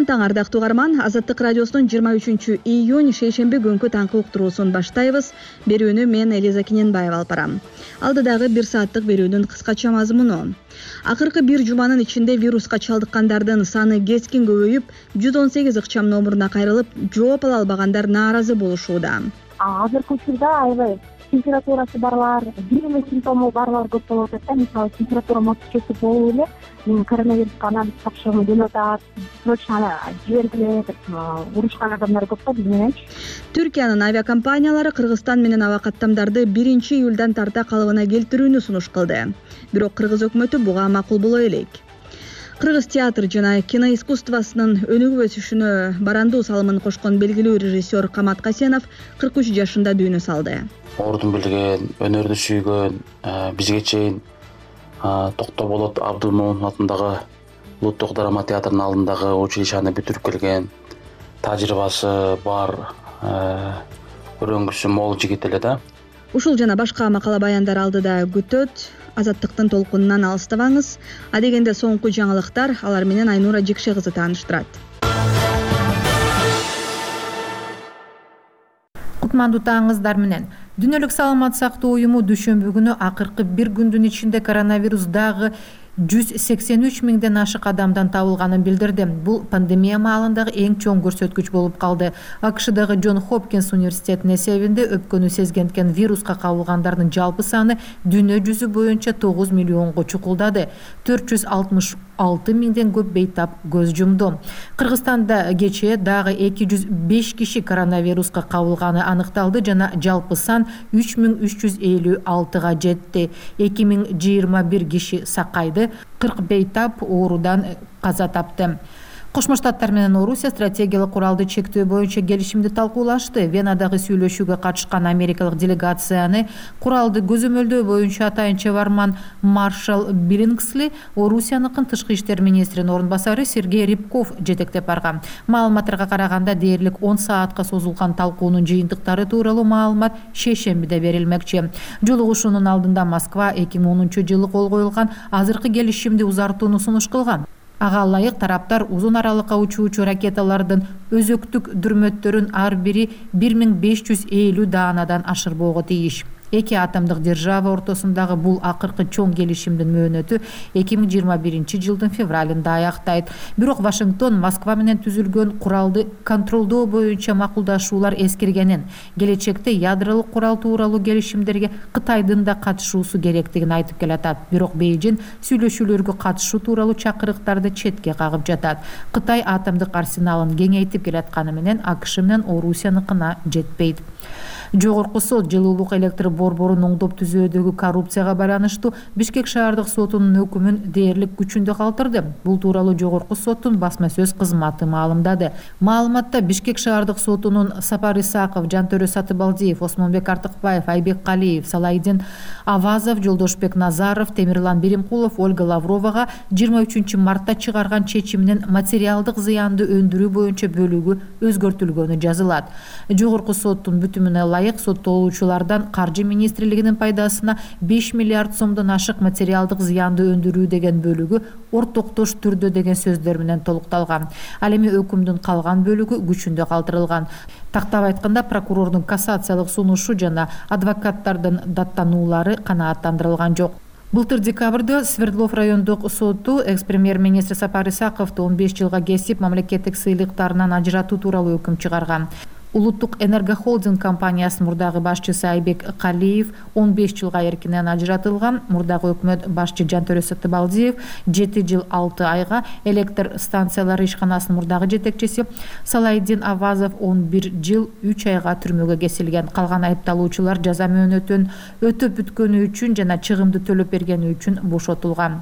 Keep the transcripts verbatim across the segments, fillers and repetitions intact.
кутман таң ардактуу угарман. Азаттык радиосунун жыйырма үчүнчү июнь шейшемби күнкү таңкы уктуруусун баштайбыз. Берүүнү мен Элиза Киненбаева алып барам. Алдыдагы бир сааттык берүүнүн кыскача мазмуну. Акыркы бир жуманын ичинде вируска чалдыккандардын саны кескин көбөйүп, жүз он сегиз ыкчам номуруна кайрылып, жооп ала албагандар нааразы болушууда. Азыркы учурда аябай температурасы барлар, бир эле симптому барлар көп болуп атат. Мисалы, температура москвичеси болуп эле мен коронавирусқа анализ тапшыргым келип атат. Срочно жибергиле деп урушкан адамдар көп да бизденчи. Түркиянын авиакомпаниялары Кыргызстан менен аба каттамдарды биринчи июлдан тарта калыбына келтирүүнү сунуш кылды. Бирок Кыргыз өкмөтү буга макул боло элек. Кыргыз театр жана кино искусствосунун өнүгүп өсүшүнө барандуу салымын кошкон белгилүү режиссер Камат Касенов кырк үч жашында дүйнө салды. Ордун билген, өнөрдү сүйгөн, бизге чейин Токтоболот Абдымомун атындагы Улуттук драма театрынын алдындагы училищаны бүтүрүп келген, тажрыйбасы бар, өрөңгүсү мол жигит эле да. Ушул жана башка макала баяндар алдыда күтөт. Азаттыктын толкунунан алыстабаңыз. Адегенде соңку жаңылыктар, алар менен Айнура Жекше кызы тааныштырат. Кутмандуу таңыңыздар менен. Дүйнөлүк саламат сактоо уюму дүйшөмбү күнү акыркы бир күндүн ичинде коронавирус дагы жүз сексен үч миңден ашык адамдан табылганын билдирди. Бул пандемия маалындагы эң чоң көрсөткүч болуп калды. АКШдагы Джон Хопкинс университетинин эсебинде өпкөнү сезгенткен вируска кабылгандардын жалпы саны дүйнө жүзү боюнча тогуз миллионго чукулдады. төрт жүз алтымыш алты миңден көп бейтап көз жумду. Кыргызстанда кечээ дагы эки жүз беш киши коронавируска кабылганы аныкталды жана жалпы сан үч миң үч жүз элүү алтыга жетти. эки миң жыйырма бир киши сакайды, кырк бейтап оорудан каза тапты. Кошмо Штаттар менен Орусия стратегиялык куралды чектөө боюнча келишимди талкуулашты. Венадагы сүйлөшүүгө катышкан америкалык делегацияны куралды көзөмөлдөө боюнча атайынча барман Маршал Биллингсли, Орусияныкын тышкы иштер министринин орун басары Сергей Рябков жетектеп барган. Маалыматтарга караганда дээрлик он саатка созулган талкуунун жыйынтыктары тууралуу маалымат шейшембиде берилмекчи. Жолугушуунун алдында Москва эки миң онунчу жылы кол коюлган азыркы келишимди узартууну сунуш кылган. Ага ылайык тараптар узун аралыкка учуучу ракеталардын өзөктүк дүрмөттөрүн ар бири бир миң беш жүз элүү даанадан ашырбоого тийиш. Эки атомдук держава ортосундагы бул акыркы чоң келишимдин мөөнөтү эки миң жыйырма биринчи жылдын февралында аяктайт. Бирок Вашингтон Москва менен түзүлгөн куралды контролдоо боюнча макулдашуулар эскиргенин, келечекте ядролук курал тууралуу келишимдерге Кытайдын да катышуусу керектигин айтып келатат. Бирок Бейжин сүйлөшүүлөргө катышуу тууралуу чакырыктарды четке кагып жатат. Кытай атомдук арсеналын кеңейтип келатканы менен АКШ менен Орусияныкына жетпейт. Жогорку сот жылуулук электр борборун оңдоп түзүүдөгү коррупцияга байланыштуу Бишкек шаардык сотунун өкүмүн дээрлик күчүндө калтырды. Бул тууралуу жогорку соттун басма сөз кызматы маалымдады. Маалыматта Бишкек шаардык сотунун Сапар Исаков, Жантөрө Сатыбалдиев, Осмонбек Артыкбаев, Айбек Калиев, Салайдин Авазов, Жолдошбек Назаров, Темирлан Беримкулов, Ольга Лавровага жыйырма үчүнчү мартта чыгарган чечиминин материалдык зыянды өндүрүү боюнча бөлүгү өзгөртүлгөнү жазылат. Жогорку соттун бүтүмүнө ылайык соттолуучулардан Каржы министрлигинин пайдасына беш миллиард сомдон ашык материалдык зыянды өндүрүү деген бөлүгү ортоктош түрдө деген сөздөр менен толукталган. Ал эми өкүмдүн калган бөлүгү күчүндө калтырылган. Тактап айтканда, прокурордун кассациялык сунушу жана адвокаттардын даттануулары канааттандырылган жок. Былтыр декабрда Свердлов райондук соту экс-премьер-министр Сапар Исаковду он беш жылга кесип мамлекеттик сыйлыктарынан ажыратуу тууралуу өкүм чыгарган. Улуттук энергохолдинг компаниясынын мурдагы башчысы Айбек Калиев он беш жылга эркинен ажыратылган. Мурдагы өкмөт башчы Жантөрө Сатыбалдиев жети жыл алты айга, электр станциялары ишканасынын мурдагы жетекчиси Салайдин Авазов он бир жыл үч айга түрмөгө кесилген. Калган айыпталуучулар жаза мөөнөтүн өтөп бүткөнү үчүн жана чыгымды төлөп бергени үчүн бошотулган.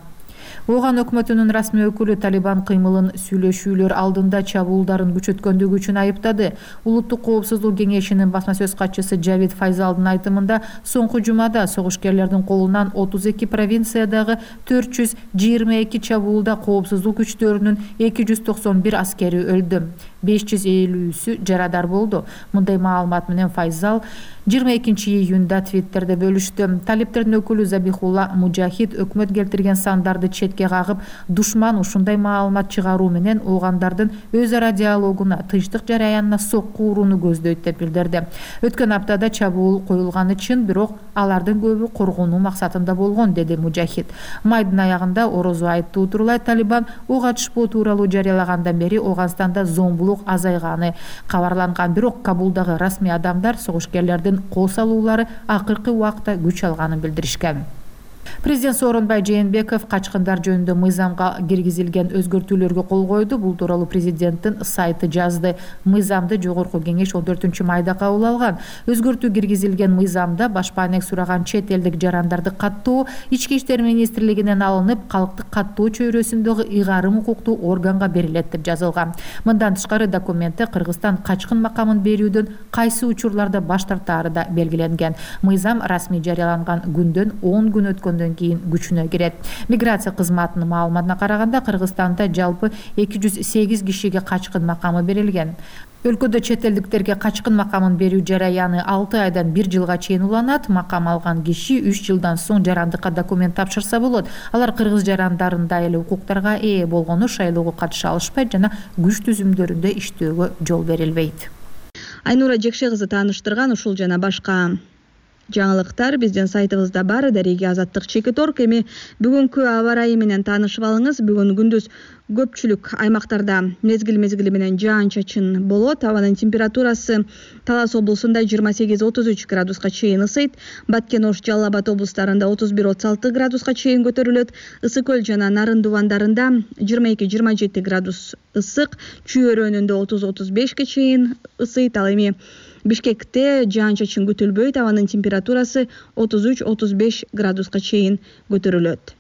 Оған өкмөтүнүн расмий өкүлү Талибан кыймылын сүйлөшүүлөр алдында чабуулдарын күчөткөндүгү үчүн айыптады. Улуттук коопсуздук кеңешинин басма сөз катчысы Жавид Файзалдын айтымында, соңку жумада согушкерлердин колунан отуз эки провинциядагы төрт жүз жыйырма эки чабуулда коопсуздук күчтөрүнүн эки жүз токсон бир аскери өлдү. беш жүз элүүсү жарадар болду. Мындай маалымат менен Файзал жыйырма экинчи июнда Твиттерде бөлүштү. Талиптердин өкүлү Забихулла Мужахид өкмөт келтирген сандарды четке кагып, душман ушундай маалымат чыгаруу менен оогандардын өз ара диалогуна, тынчтык жараянына сокку урууну көздөйт деп билдирди. Өткөн аптада чабуул коюлганы чын, бирок алардын көбү коргонуу максатында болгон, деди Мужахид. Майдын аягында орозу айттуу турулай Талибан ок атышпоо тууралуу жарыялагандан бери Ооганстанда зомбулук азайганы кабарланган, бирок Кабулдагы расмий адамдар согушкерлердин кол салуулары акыркы убакта күч алганын билдиришкен. Президент Сооронбай Жээнбеков качкындар жөнүндө мыйзамга киргизилген өзгөртүүлөргө кол койду. Бул тууралуу президенттин сайты жазды. Мыйзамды жогорку кеңеш он төртүнчү майда кабыл алган. Өзгөртүү киргизилген мыйзамда башпаанек сураган чет элдик жарандарды каттоо Ички иштер министрлигинен алынып, калктык каттоо чөйрөсүндөгү ыйгарым укуктуу органга берилет деп жазылган. Мындан тышкары документте Кыргызстан качкын макамын берүүдөн кайсы учурларда баш тартаары да белгиленген. Мыйзам расмий жарыяланган күндөн он күн өткөн кийин күчүнө кирет. Миграция кызматынын маалыматына караганда Кыргызстанда жалпы эки жүз сегиз кишиге качкын макамы берилген. Өлкөдө чет элдиктерге качкын макамын берүү жараяны алты айдан бир жылга чейин уланат. Макам алган киши үч жылдан соң жарандыкка документ тапшырса болот. Алар кыргыз жарандарындай эле укуктарга ээ болгону шайлоого катыша алышпайт жана күч түзүмдөрүндө иштөөгө жол берилбейт. Айнура Жекше кызы тааныштырган ушул жана башка жаңылыктар биздин сайтыбызда бар. Дареги Азаттык Чекиторг. Эми бүгүнкү аба ырайы менен таанышып алыңыз. Бүгүн күндүз көпчүлүк аймактарда мезгил мезгили менен жаан-чачын болот. Абанын температурасы Талас облусунда жыйырма сегиз отуз үч градуска чейин ысыйт. Баткен, Ош, Жалал Абад облустарында отуз бир отуз алты градуска чейин көтөрүлөт. Ысык көл жана Нарын дубандарында жыйырма эки жыйырма жети градус ысык, Чүй өрөөнүндө отуз отуз бешке чейин ысыйт. Ал эми Бишкекте жаан-чачын күтүлбөйт. Абанын температурасы отуз үч отуз беш градуска чейин көтөрүлөт.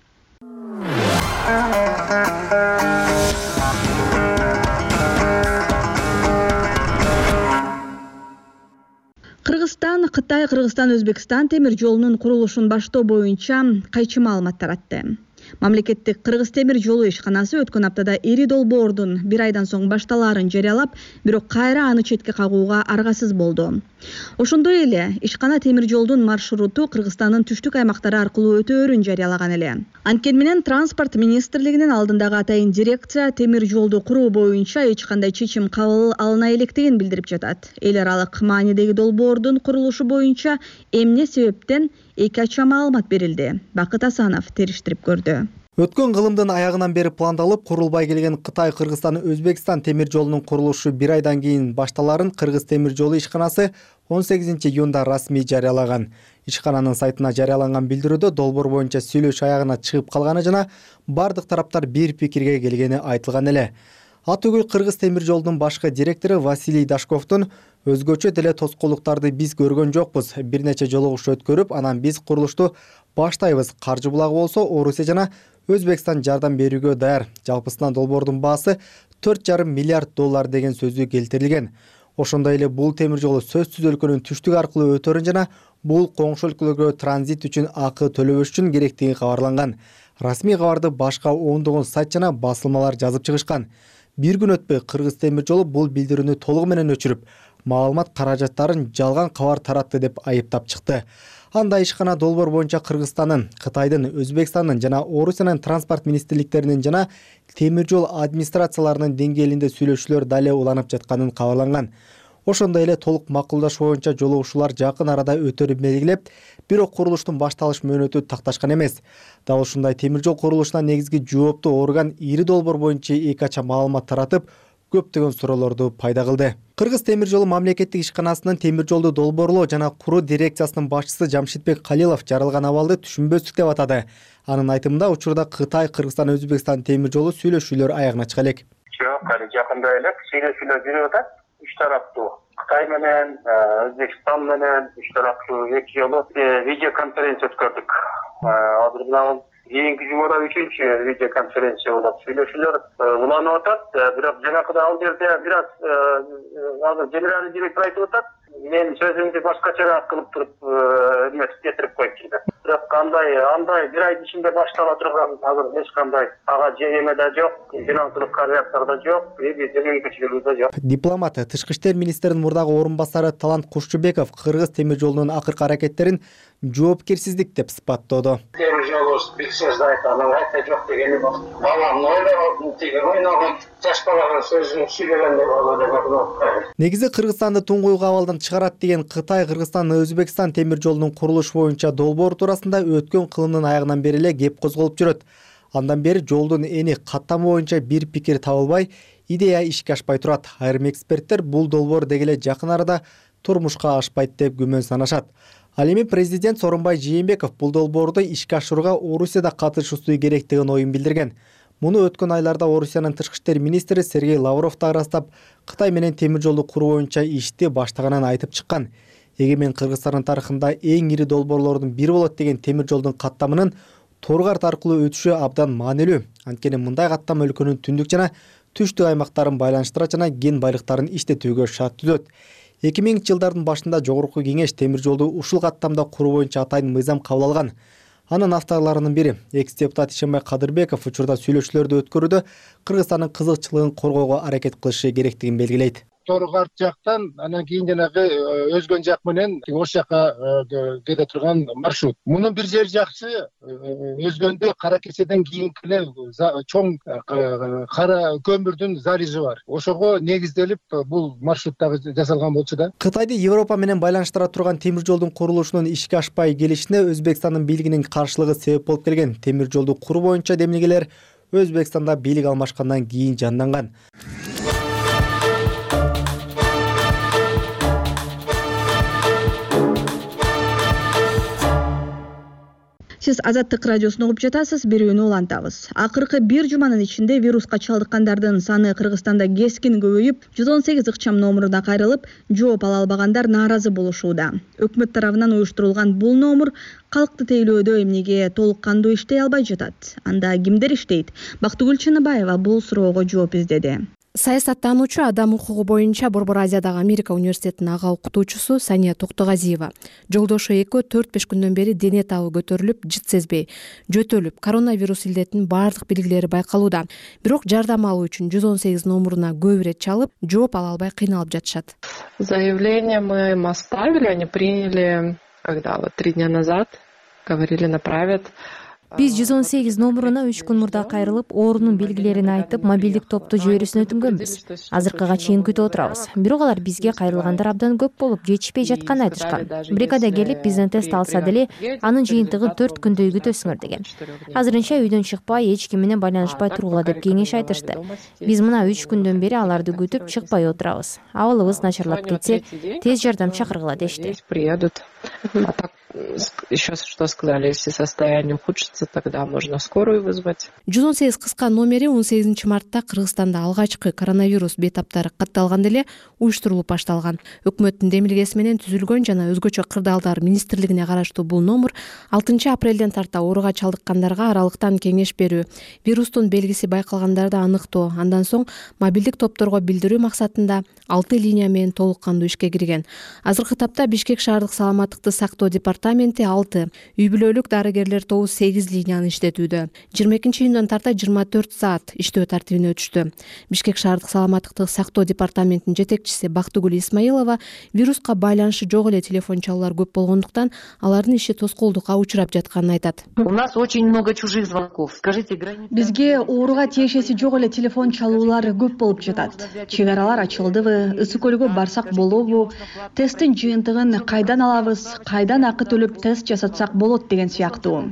Кыргызстан, Кытай, Кыргызстан, Өзбекстан темир жолунун курулушун баштоо боюнча кайчы маалымат таратты. Мамлекеттик Кыргыз темир жолу ишканасы өткөн аптада ири долбоордун бир айдан соң башталаарын жарыялап, бирок кайра аны четке кагууга аргасыз болду. Ошондой эле ишкана темир жолдун маршруту Кыргызстандын түштүк аймактары аркылуу өтөөрүн жарыялаган эле. Анткени менен транспорт министрлигинин алдындагы атайын дирекция темир жолду куруу боюнча эч кандай чечим кабыл алына электигин билдирип жатат. Эл аралык маанидеги долбоордун курулушу боюнча эмне себептен эки ача маалымат берилди. Бакыт Асанов териштирип көрдү. Өткөн кылымдын аягынан бери пландалып, курулбай келген Кытай, Кыргызстан, Өзбекстан темир жолунун курулушу бир айдан кийин башталарын Кыргыз темир жолу ишканасы он сегизинчи июнда расмий жарыялаган. Ишкананын сайтына жарыяланган билдирүүдө долбоор боюнча сүйлөшүү аягына чыгып калганы жана бардык тараптар бир пикирге келгени айтылган эле. Атүгүл Кыргыз темир жолунун башкы директору Василий Дашковдун өзгөчө деле тоскоолдуктарды биз көргөн жокпуз. Бир нече жолугуш өткөрүп, анан биз курулушту баштайбыз. Каржы булагы болсо Орусия жана Өзбекстан жардам берүүгө даяр. Жалпысынан долбоордун баасы төрт жарым миллиард доллар деген сөзү келтирилген. Ошондой эле бул темир жолу сөзсүз өлкөнүн түштүк аркылуу өтөөрүн жана бул коңшу өлкөлөргө транзит үчүн акы төлөбөш үчүн керектиги кабарланган. Расмий кабарды башка ондогон сайт жана басылмалар жазып чыгышкан. Бир күн өтпөй Кыргыз темир жолу бул билдирүүнү толугу менен өчүрүп, маалымат каражаттарын жалган кабар таратты деп айыптап чыкты. Анда ишкана долбоор боюнча Кыргызстандын, Кытайдын, Өзбекстандын жана Орусиянын транспорт министрликтеринин жана темир жол администрацияларынын деңгээлинде сүйлөшүүлөр дале уланып жатканын кабарланган. Ошондой эле толук макулдашуу боюнча жолугушуулар жакын арада өтөрүн белгилеп, бирок курулуштун башталыш мөөнөтү такташкан эмес. Дал ушундай темир жол курулушуна негизги жооптуу орган ири долбоор боюнча эки ача маалымат таратып, көптөгөн суроолорду пайда кылды. Кыргыз темир жолу мамлекеттик ишканасынын темир жолду долбоорлоо жана куруу дирекциясынын башчысы Жамшитбек Калилов жарылган абалды түшүнбөстүк деп атады. Анын айтымында учурда Кытай, Кыргызстан, Өзбекстан темир жолу сүйлөшүүлөр аягына чыга элек. Жок, али жакында эле сүйлөшүүлөр жүрүп атат. Үч тараптуу Кытай менен, Өзбекстан менен үч тараптуу эки жолу видео конференция өткөрдүк. Азыр мына кийинки жумада үчүнчү видео конференция болот. Сүйлөшүүлөр уланып атат, бирок жанакыда ал жерде бир аз азыр генеральный директор айтып атат. Мен сөзүмдү башкачараак кылып туруп эметип кетирип коюп жүрдүм. бирок андай андай бир айдын ичинде баштала турган азыр эч кандай ага эме да жок, финансылык корреляция да жок, жөнөкөчүлүгү да жок. Дипломат, тышкы иштер министринин мурдагы орун басары Талант Кушчубеков Кыргыз темир жолунун акыркы аракеттерин жоопкерсиздик деп сыпаттоодо. Темир жолу бексез айтам, айта жок дегени бар. Балам ойлогон, тиги ойногон, жаш баланын сөзүн сүйлөгөндө болот. Негизи Кыргызстанды туңгуйук абалдан чыгарат деген Кытай Кыргызстан Өзбекстан темир жолунун курулуш боюнча долбоор туурасында өткөн кылымдын аягынан бери эле кеп козголуп жүрөт. Андан бери жолдун эни каттамы боюнча бир пикир табылбай, идея ишке ашпай турат. Айрым эксперттер бул долбоор деги эле жакын арада турмушка ашпайт деп күмөн санашат. Ал эми президент Сооронбай Жээнбеков бул долбоорду ишке ашырууга Орусияда катышуусу керектигин оюн билдирген. Муну өткөн айларда Орусиянын тышкы иштер министри Сергей Лавров да ырастап, Кытай менен темир жолду куруу боюнча ишти баштаганын айтып чыккан. Эгемен Кыргызстандын тарыхында эң ири долбоорлордун бири болот деген темир жолдун каттамынын Торгарт аркылуу өтүшү абдан маанилүү. Анткени мындай каттама өлкөнүн түндүк жана түштүк аймактарын байланыштыра жана кен байлыктарын иштетүүгө шарт түзөт. эки миңинчи жылдардын башында Жогорку Кеңеш темир жолду ушул каттамда куруу боюнча атайын мыйзам кабыл алган. Анын авторлорунун бири экс-депутат Ишенбай Кадырбеков учурда сүйлөшүүлөрдү өткөрүүдө Кыргызстандын кызыкчылыгын коргоого аракет кылышы керектигин белгилейт. Торгарт жактан анан кийин жанагы өзгөн жак менен ош жака кете турган маршрут. Мунун бир жери жакшы, өзгөндө кара кеседен кийинки эле чоң кара көмүрдүн залежи бар. Ошого негизделип бул маршруттагы жасалган болчу да. Кытайды Европа менен байланыштыра турган темир жолдун курулушунун ишке ашпай келишине Өзбекстандын бийлигинин каршылыгы себеп болуп келген. Темир жолду куруу боюнча демилгелер Өзбекстанда бийлик алмашкандан кийин жанданган. Сиз Азаттык радиосун угуп жатасыз, берүүнү улантабыз. Акыркы бир жуманын ичинде вируска чалдыккандардын саны Кыргызстанда кескин көбөйүп, жүз он сегиз ыкчам номуруна кайрылып, жооп ала албагандар нааразы болушууда. Өкмөт тарабынан уюштурулган бул номур калкты тейлөөдө эмнеге толук кандуу иштей албай жатат? Анда кимдер иштейт? Бактыгүл Чыныбаева бул суроого жооп издеди. Саясаттануучу, адам укугу боюнча Борбор Азиядагы Америка университетинин ага окутуучусу Сания Токтогазиева жолдошу экөө төрт беш күндөн бери дене табы көтөрүлүп, жыт сезбей, жөтөлүп, коронавирус илдетинин баардык белгилери байкалууда. Бирок жардам алуу үчүн жүз он сегиз номуруна көп ирет чалып, жооп ала албай кыйналып жатышат. Заявление мы им оставили, они приняли, когда вот три дня назад, говорили, направят. Биз жүз он сегиз номуруна үч күн мурда кайрылып, оорунун белгилерин айтып, мобилдик топту жиберүүсүн өтүнгөнбүз. Азыркыга чейин күтүп отурабыз. Бирок алар бизге кайрылгандар абдан көп болуп, жетишпей жатканын айтышкан. Бригада келип, бизден тест алса деле, анын жыйынтыгын төрт күндөй күтөсүңөр деген. Азырынча үйдөн чыкпай, эч ким менен байланышпай тургула деп кеңеш айтышты. Биз мына үч күндөн бери аларды күтүп чыкпай отурабыз. Абалыбыз начарлап кетсе, тез жардам чакыргыла дешти. Еще что сказали, если состояние ухудшится, тогда можно скорую вызвать. жүз он сегиз кыска номери он сегизинчи мартта Кыргызстанда алгачкы коронавирус бейтаптары катталганда эле уюштурулуп башталган. Өкмөттүн демилгеси менен түзүлгөн жана өзгөчө кырдаалдар министрлигине караштуу бул номер алтынчы апрелден тарта ооруга чалдыккандарга аралыктан кеңеш берүү, вирустун белгиси байкалгандарды аныктоо, андан соң мобилдик топторго билдирүү максатында алты линия менен толук кандуу ишке кирген. Азыркы тапта Бишкек шаардык саламаттыкты сактоо департаменти алты, үй бүлөлүк дарыгерлер тобу сегиз линияны иштетүүдө. жыйырма экинчи июндан тарта жыйырма төрт саат иштөө тартибине өтүштү. Бишкек шаардык саламаттыкты сактоо департаментинин жетекчиси Бактыгүл Исмаилова вируска байланышы жок эле телефон чалуулар көп болгондуктан алардын иши тоскоолдукка учурап жатканын айтат. У нас очень много чужих звонков. Скажите, граница... Бизге ооруга тиешеси жок эле телефон чалуулар көп болуп жатат. Чек аралар ачылдыбы, ысык көлгө барсак болобу, тесттин жыйынтыгын кайдан алабыз, кайдан акы төлөп тест жасатсак болот деген сыяктуу.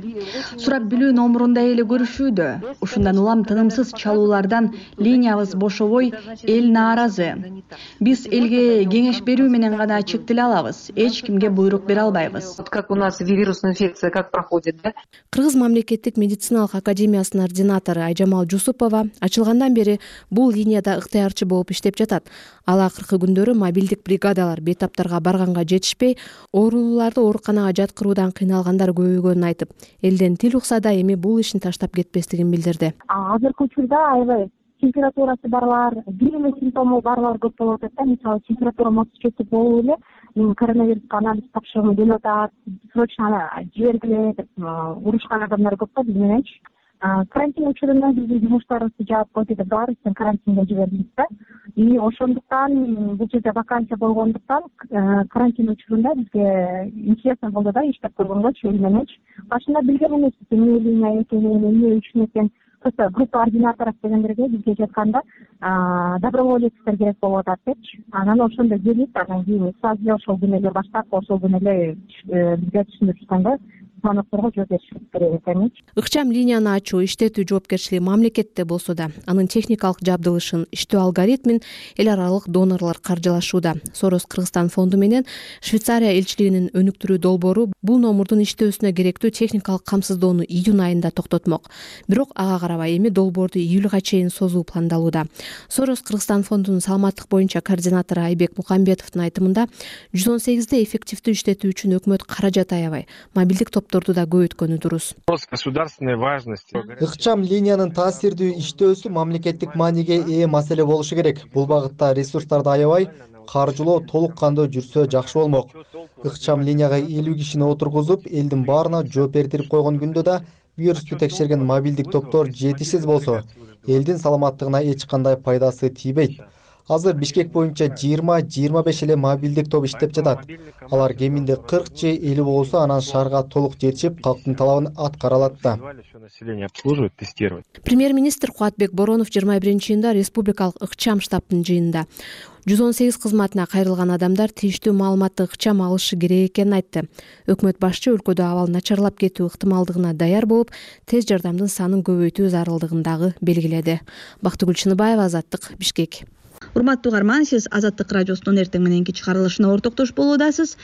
Сурап билүү номурунда эле көрүшүүдө. Ушундан улам тынымсыз чалуулардан линиябыз бошобой, эл нааразы. Биз элге кеңеш берүү менен гана чектеле алабыз. Эч кимге буйрук бере албайбыз. Как у нас вирусная инфекция как проходит, да? Кыргыз мамлекеттик медициналык академиясынын ординатору Айжамал Жусупова ачылгандан бери бул линияда ыктыярчы болуп иштеп жатат. Ал акыркы күндөрү мобилдик бригадалар бейтаптарга барганга жетишпей, оорулууларды ооруканага жаткыруудан кыйналгандар көбөйгөнүн айтып, элден тил укса да эми бул ишин таштап кетпестигин билдирди. Азыркы учурда аябай температурасы барлар, бир эле симптому барлар көп болуп атат да. Мисалы температура мотивчеси болуп эле мен коронавируска анализ тапшыргым келип атат, срочно жибергиле деп урушкан адамдар көп да биз мененчи. Карантин учурунда биздин жумуштарыбызды жаап койду деп баарыбызды карантинге жибердик да. И ошондуктан бул жерде вакансия болгондуктан карантин учурунда бизге интересно болду да иштеп көргөнгөчү эл мененчи. Башында билген эмеспиз эмне линия экенин, эмне үчүн экен. Просто группа координаторов дегендерге бизге жатканда доброволецтер керек болуп атат депчи. Анан ошондо келип, анан кийин сразу эле ошол күнү эле баштап, ошол күнү эле бизге түшүндүрүп атканда звонокторго жооп беришибиз керек экеничи. Ыкчам линияны ачуу иштетүү жоопкерчилиги мамлекетте болсо да, анын техникалык жабдылышын, иштөө алгоритмин эл аралык донорлор каржылашууда. Сорос Кыргызстан фонду менен Швейцария элчилигинин өнүктүрүү долбоору бул номурдун иштөөсүнө керектүү техникалык камсыздоону июнь айында токтотмок. Бирок ага карабай эми долбоорду июлга чейин созуу пландалууда. Сорос Кыргызстан фондунун саламаттык боюнча координатору Айбек Мукамбетовдун айтымында жүз он сегизде эффективдүү иштетүү үчүн өкмөт каражат аябай, мобилдик топторду да көбөйткөнү дурус. Ыкчам линиянын таасирдүү иштөөсү мамлекеттик мааниге ээ маселе болушу керек. Бул багытта ресурстарды аябай, каржылоо толук кандуу жүрсө жакшы болмок. Ыкчам линияга элүү кишини отургузуп, элдин баарына жооп бердирип койгон күндө да вирусту текшерген мобилдик топтор жетишсиз болсо, элдин саламаттыгына эч кандай пайдасы тийбейт. Азыр Бишкек боюнча жыйырма жыйырма беш эле мобилдик топ иштеп жатат. Алар кеминде кырк же элүү болсо анан шаарга толук жетишип, калктын талабын аткара алат да. Премьер-министр Кубатбек Боронов жыйырма биринчи июнда республикалык ыкчам штабтын жыйынында жүз он сегиз кызматына кайрылган адамдар тийиштүү маалыматты ыкчам алышы керек экенин айтты. Өкмөт башчы өлкөдө абал начарлап кетүү ыктымалдыгына даяр болуп, тез жардамдын санын көбөйтүү зарылдыгын дагы белгиледи. Бактыгүл Чыныбаева, Азаттык, Бишкек. Урматтуу угарман, сиз Азаттык радиосунун эртең мененки чыгарылышына ортоктош болуудасыз.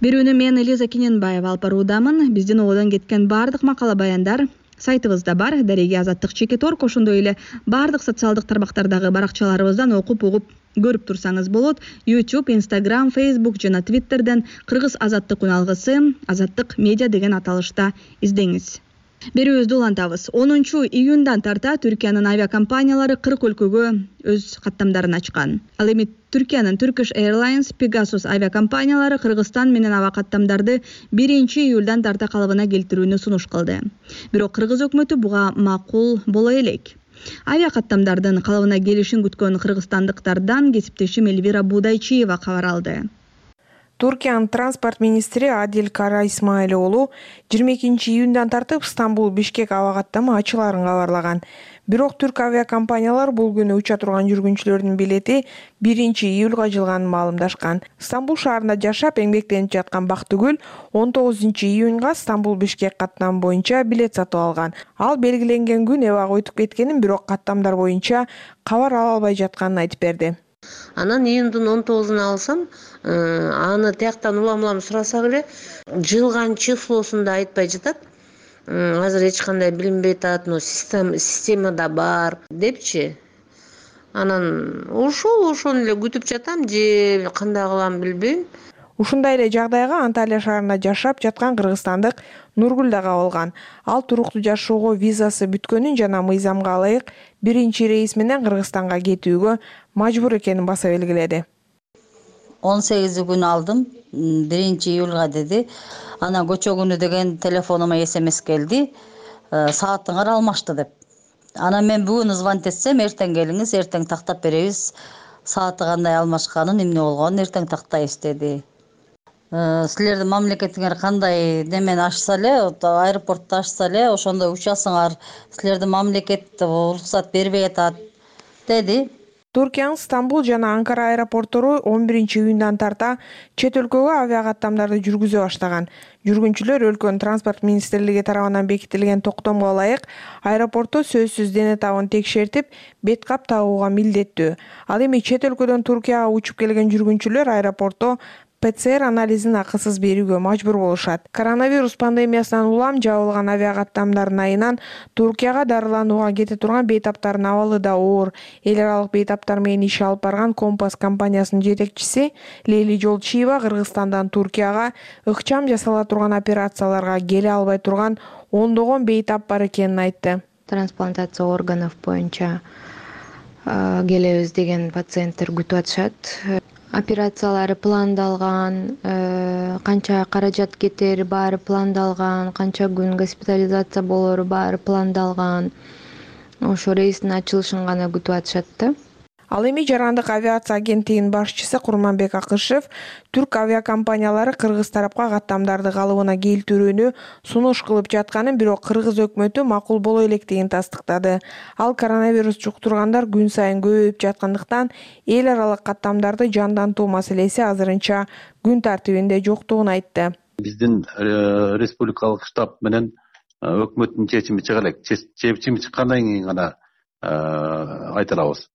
Берүүнү мен Элиза Киненбаева алып баруудамын. Биздин ободон кеткен баардык макала баяндар сайтыбызда бар. Дареги Азаттык чекит орг, ошондой эле баардык социалдык тармактардагы баракчаларыбыздан окуп угуп көрүп турсаңыз болот. YouTube, Instagram, Facebook жана Twitterден Кыргыз Азаттык үналгысы, Азаттык медиа деген аталышта издеңиз. Берүүбүздү улантабыз. онунчу июндан тарта Түркиянын авиакомпаниялары кырк өлкөгө өз каттамдарын ачкан. Ал эми Түркиянын Turkish Airlines, Pegasus авиакомпаниялары Кыргызстан менен аба каттамдарды биринчи июлдан тарта калыбына келтирүүнү сунуш кылды. Бирок Кыргыз өкмөтү буга макул боло элек. Авиакаттамдардын калыбына келишин күткөн кыргызстандыктардан кесиптешим Элвира Будайчиева кабар алды. Туркиянын транспорт министри Адил Кара Исмаил уулу жыйырма экинчи июндан тартып Стамбул Бишкек аба каттамы ачыларын кабарлаган. Бирок түрк авиакомпаниялар бул күнү уча турган жүргүнчүлөрдүн билети биринчи июлга жылганын маалымдашкан. Стамбул шаарында жашап эмгектенип жаткан Бактыгүл он тогузунчу июнга Стамбул Бишкек каттамы боюнча билет сатып алган. Ал белгиленген күн эбак өтүп кеткенин, бирок каттамдар боюнча кабар ала албай жатканын айтып берди. Анан июндун он тогузуна алсам, аны тияктан улам-улам сурасак эле жылган числосун да айтпай жатат. Азыр эч кандай билинбей атат, но системада бар депчи. Анан ошол ошону эле күтүп жатам, же кандай кылам билбейм. Ушундай эле жагдайга Анталия шаарында жашап жаткан кыргызстандык Нургүл да кабылган. Ал туруктуу жашоого визасы бүткөнүн жана мыйзамга ылайык биринчи рейс менен Кыргызстанга кетүүгө мажбур экенин баса белгиледи. он сегизи күнү алдым, биринчи июлга деди. Анан көчө күнү деген телефонума эс эм эс келди. Саатыңар алмашты деп. Анан мен бүгүн звонить этсем, эртең келиңиз, эртең тактап беребиз. Сааты кандай алмашканын, эмне болгонун эртең тактайбыз деди. Силердин мамлекетиңер кандай немени ачса эле, аэропортто ачса эле, ошондой учасыңар, силердин мамлекет уруксат бербей атат деди. Туркиянын Стамбул жана Анкара аэропорттору он биринчи июндан тарта чет өлкөгө авиакаттамдарды жүргүзө баштаган. Жүргүнчүлөр өлкөнүн транспорт министрлиги тарабынан бекитилген токтомго ылайык аэропортто сөзсүз дене табын текшертип, бет кап тагууга милдеттүү. Ал эми чет өлкөдөн Туркияга учуп келген жүргүнчүлөр аэропортто пэ цэ эр анализин акысыз берүүгө мажбур болушат. Коронавирус пандемиясынан улам жабылган авиакаттамдардын айынан Туркияга дарыланууга кете турган бейтаптардын абалы да оор. Эл аралык бейтаптар менен иш алып барган Компас компаниясынын жетекчиси Лейли Жолчиева Кыргызстандан Туркияга ыкчам жасала турган операцияларга келе албай турган ондогон бейтап бар экенин айтты. Трансплантация органов боюнча келебиз деген пациенттер күтүп атышат. Операциялары пландалган, канча каражат кетери баары пландалган, канча күн госпитализация болору баары пландалган. Ошо рейстин ачылышын гана күтүп атышат да. Ал эми Жарандык авиация агенттигинин башчысы Курманбек Акышев түрк авиакомпаниялары кыргыз тарапка каттамдарды калыбына келтирүүнү сунуш кылып жатканын, бирок кыргыз өкмөтү макул боло электигин тастыктады. Ал коронавирус жуктургандар күн сайын көбөйүп жаткандыктан эл аралык каттамдарды жандантуу маселеси азырынча күн тартибинде жоктугун айтты. Биздин республикалык штаб менен өкмөттүн чечими чыга элек. Чечими чыккандан кийин гана айта алабыз.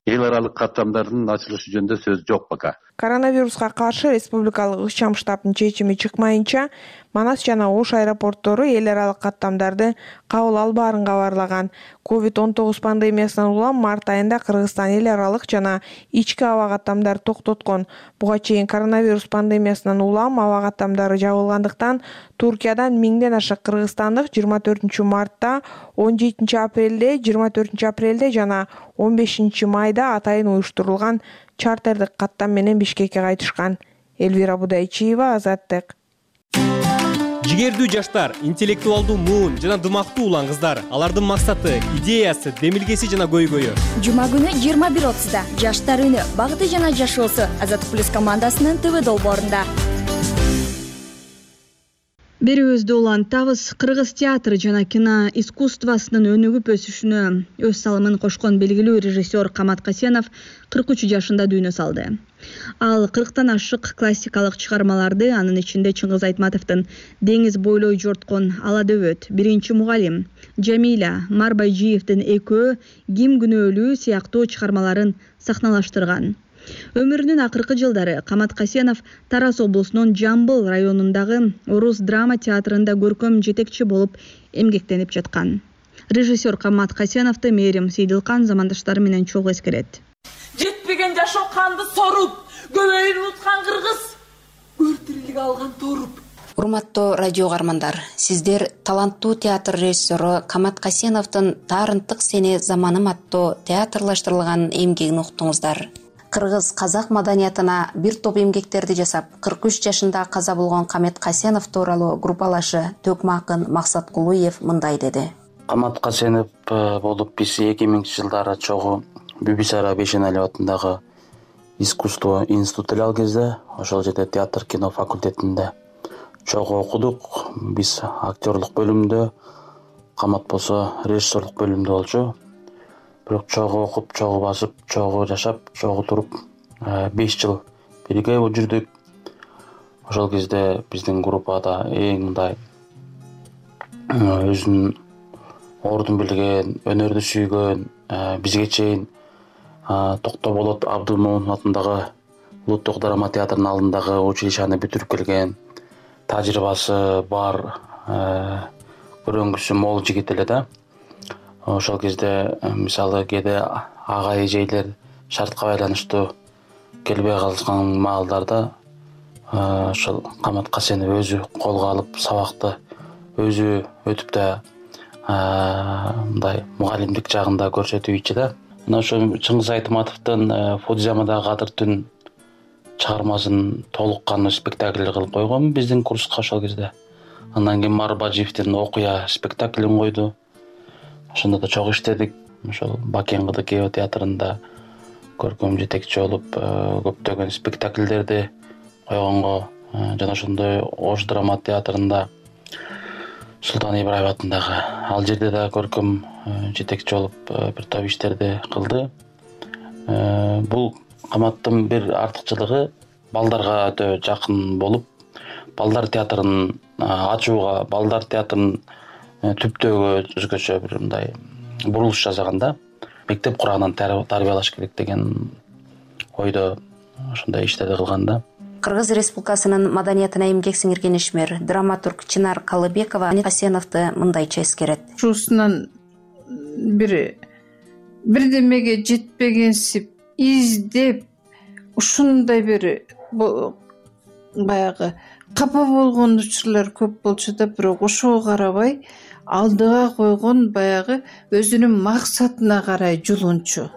Эл аралык каттамдардын ачылышы жөнүндө сөз жок пока. Коронавируска каршы республикалык ыкчам штабтын чечими чыкмайынча, Манас жана Ош аэропорттору эл аралык каттамдарды кабыл албаарын кабарлаган. ковид он тогуз пандемиясынан улам март айында Кыргызстан эл аралык жана ички аба каттамдарды токтоткон. Буга чейин коронавирус пандемиясынан улам аба каттамдары жабылгандыктан Туркиядан миңден ашык кыргызстандык жыйырма төртүнчү мартта, он жетинчи апрелде, жыйырма төртүнчү апрелде жана он бешинчи майда атайын уюштурулган чартердик каттам менен Бишкекке кайтышкан. Элвира Будайчиева, Азаттык. Жигердүү жаштар, интеллектуалдуу муун жана дымактуу улан кыздар. Алардын максаты, идеясы, демилгеси жана көйгөйү. Жума күнү жыйырма бир отузда Жаштар үнү, багыты жана жашоосу Азаттык плюс командасынын ТВ долбоорунда. Берүүбүздү улантабыз. Кыргыз театры жана кино искусствосунун өнүгүп өсүшүнө өз салымын кошкон белгилүү режиссер Камат Касенов кырк үч жашында дүйнө салды. Ал кырктан ашык классикалык чыгармаларды, анын ичинде Чыңгыз Айтматовдун Деңиз бойлой жорткон Ала дөбөт, Биринчи мугалим, Жамиля, Марбайжиевдин Экөө, Ким күнөөлүү сыяктуу чыгармаларын сахналаштырган. Өмүрүнүн акыркы жылдары Камат Касенов Тарас облусунун Жамбыл районундагы Орус драма театрында көркөм жетекчи болуп эмгектенип жаткан. Режиссер Камат Касеновду Мээрим Сейдилкан замандаштары менен чогуу эскерет. Жетпеген жашоо канды соруп, көбөйүн уткан кыргыз, өртүрүлүк алган торуп. Урматтуу радио кармандар, сиздер таланттуу театр режиссеру Камат Касеновдун Таарынтык сени заманым аттуу театрлаштырылган эмгегин уктуңуздар. Кыргыз казак маданиятына бир топ эмгектерди жасап, кырк үч жашында каза болгон Камат Касенов тууралуу группалашы Төкмө акын Максат Кулуев мындай деди. Камат Касенов болуп биз эки миңинчи жылдары чогуу Бибисара Бейшеналиев атындагы искусство институту эле ал кезде, ошол жерде театр кино факультетинде чогуу окудук. Биз актерлук бөлүмүндө, Камат болсо режиссерлук бөлүмүндө болчу. Бирок чогуу окуп, чогуу басып, чогуу жашап, чогуу туруп беш жыл бирге жүрдүк. Ошол кезде биздин группада эң мындай өзүнүн ордун билген, өнөрдү сүйгөн, бизге чейин Токтоболот Абдымомун атындагы Улуттук драма театрынын алдындагы училищаны бүтүрүп келген, тажрыйбасы бар, көрөнгүсү мол жигит эле да. Ошол кезде мисалы кээде ага эжейлер шартка байланыштуу келбей калган маалдарда ошол Камат Касенов өзү колго алып сабакты өзү өтүп да мындай мугалимдик жагында көрсөтүүчү да. Мына ошо Чыңгыз Айтматовдун Фудзиямадагы Кадыр түн чыгармасын толук кандуу спектакль кылып койгон биздин курска ошол кезде. Андан кийин Марбажиевдин Окуя спектаклин койду. Ошондо да чогуу иштедик. Ошол Бакен Кыдыкеева театрында көркөм жетекчи болуп көптөгөн спектакльдерди койгонго, жана ошондой Ош драма театрында Султан Ибраев атындагы ал жерде да көркөм жетекчи болуп бир топ иштерди кылды. Бул Каматтын бир артыкчылыгы балдарга өтө жакын болуп, балдар театрын ачууга, балдар театрын түптөөгө өзгөчө бир мындай бурулуш жасаган да. Мектеп курагынан тарбиялаш керек деген ойдо ошондой иштерди кылган да. Кыргыз Республикасынын маданиятына эмгек сиңирген ишмер, драматург Чынар Калыбекова Касеновду мындайча эскерет. Ушусунан бир бирдемеге жетпегенсип издеп, ушундай бир баягы капа болгон учурлар көп болчу да, бирок ошого карабай алдыга койгон баягы өзүнүн максатына карай жулунчу.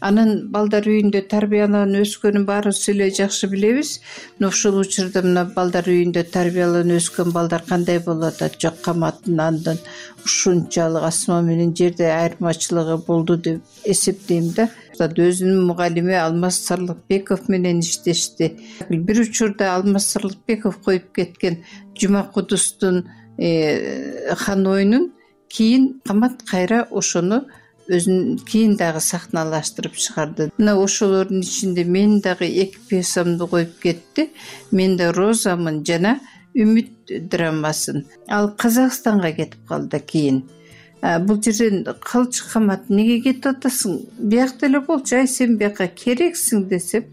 анын балдар үйүндө тарбияланып өскөнүн баарыбыз эле жакшы билебиз. Мына ушул учурда мына балдар үйүндө тарбияланып өскөн балдар кандай болуп атат? Жок, каматтын андан ушунчалык асма менен жерде айырмачылыгы болду деп эсептейм да. Өзүнүн мугалими Алмаз Сарлыкбеков менен иштешти. Бир учурда Алмаз Сарлыкбеков коюп кеткен Жума Кудустун хан оюнун кийин Камат кайра ошону өзүн кийин дагы сахналаштырып чыгарды. Мына ошолордун ичинде мен дагы эки пьесамды коюп кетти. Мен да Розамын жана Үмүт драмасын. Ал Казакстанга кетип калды кийин. Бул жерден калчы Камат неге кетип атасың? Биякта эле болчу, ай сен бияка керексиң десеп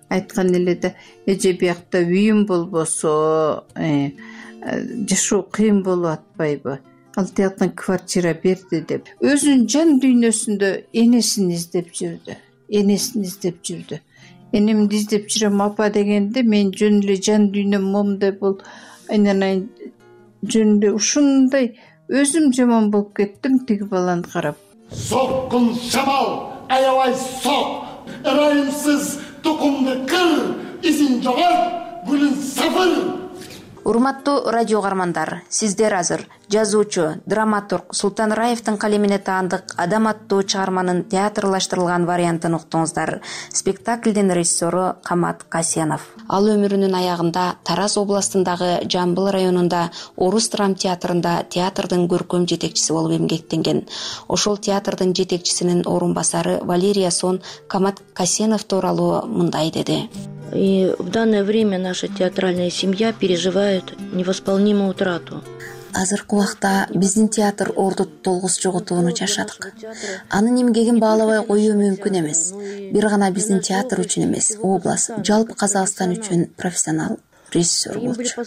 айткан эле да, эже биякта үйүм болбосо жашоо кыйын болуп атпайбы? Ал тияктан квартира берди деп. Өзүнүн жан дүйнөсүндө энесин издеп жүрдү. Энесин издеп жүрдү. Энемди издеп жүрөм апа дегенде мен жөн эле жан дүйнөм момундай болуп, айнанайын жөн эле ушундай өзүм жаман болуп кеттим тиги баланы карап. Соккун шамал, аябай сок, ырайымсыз тукумду кыр, изин жогорт, гүлүн сафыр. Урматтуу радио каармандар, сиздер азыр жазуучу, драматург Султан Раевдин калемине таандык Адам аттуу чыгарманын театрлаштырылган вариантын уктуңуздар. Спектаклдин режиссеру Камат Касенов. Ал өмүрүнүн аягында Тараз областындагы Жамбыл районунда Орус драм театрында театрдын көркөм жетекчиси болуп эмгектенген. Ошол театрдын жетекчисинин орун басары Валерия Сон Камат Касенов тууралуу мындай деди. И в данное время наша театральная семья переживает невосполнимую утрату. Азыркы убакта биздин театр орду толгус жоготууну жашадык. Анын эмгегин баалабай коюу мүмкүн эмес. Бир гана биздин театр үчүн эмес, область, жалпы Казакстан үчүн профессионал режиссер болчу.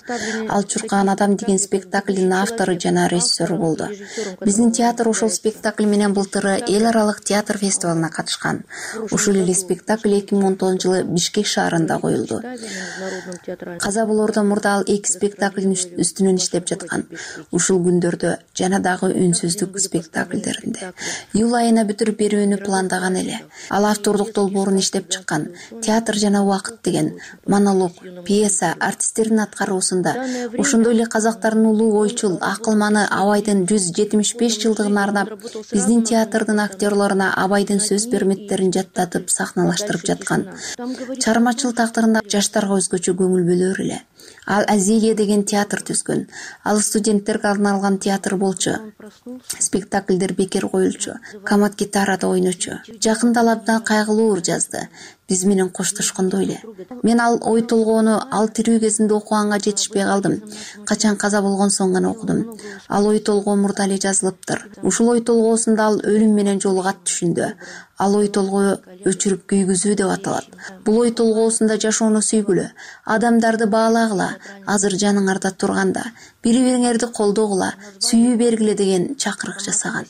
Ал Чуркан адам деген спектаклдин автору жана режиссеру болду. Биздин театр ошол спектакль менен былтыры эл аралык театр фестивалына катышкан. Ушул эле спектакль эки миң он тогузунчу жылы Бишкек шаарында коюлду. Каза болоордон мурда ал эки спектаклдин үстүнөн иштеп жаткан. Ушул күндөрдө жана дагы үнсүздүк спектакльдеринде июль айына бүтүрүп берүүнү пландаган эле. Ал автордук долбоорун иштеп чыккан. Театр жана убакыт деген монолог, пьеса, артисттердин аткаруусунда ошондой эле казактардын улуу ойчул, акылманы Абайдын жүз жетимиш беш жылдыгына арнап биздин театрдын актерлоруна Абайдын сөз берметтерин жаттатып сахналаштырып жаткан. Чыгармачыл тактырында жаштарга өзгөчө көңүл бөлөр эле. Ал Азилия деген театр түзгөн. Ал студенттерге арналган театр болчу. Спектакльдер бекер коюлчу. Камат гитарада ойночу. Жакында ал абдан кайгылуу ыр жазды. Биз менен коштошкондой эле. Мен ал ой толгоону ал тирүү кезинде окуганга жетишпей калдым. Качан каза болгон соң гана окудум. Ал ой толгоо мурда эле жазылыптыр. Ушул ой толгоосунда ал өлүм менен жолугат түшүндө. Ал ой толгоо өчүрүп күйгүзүү деп аталат. Бул ой толгоосунда жашоону сүйгүлө, адамдарды баалагыла, азыр жаныңарда турганда, бири-бириңерди колдогула, сүйүү бергиле деген чакырык жасаган.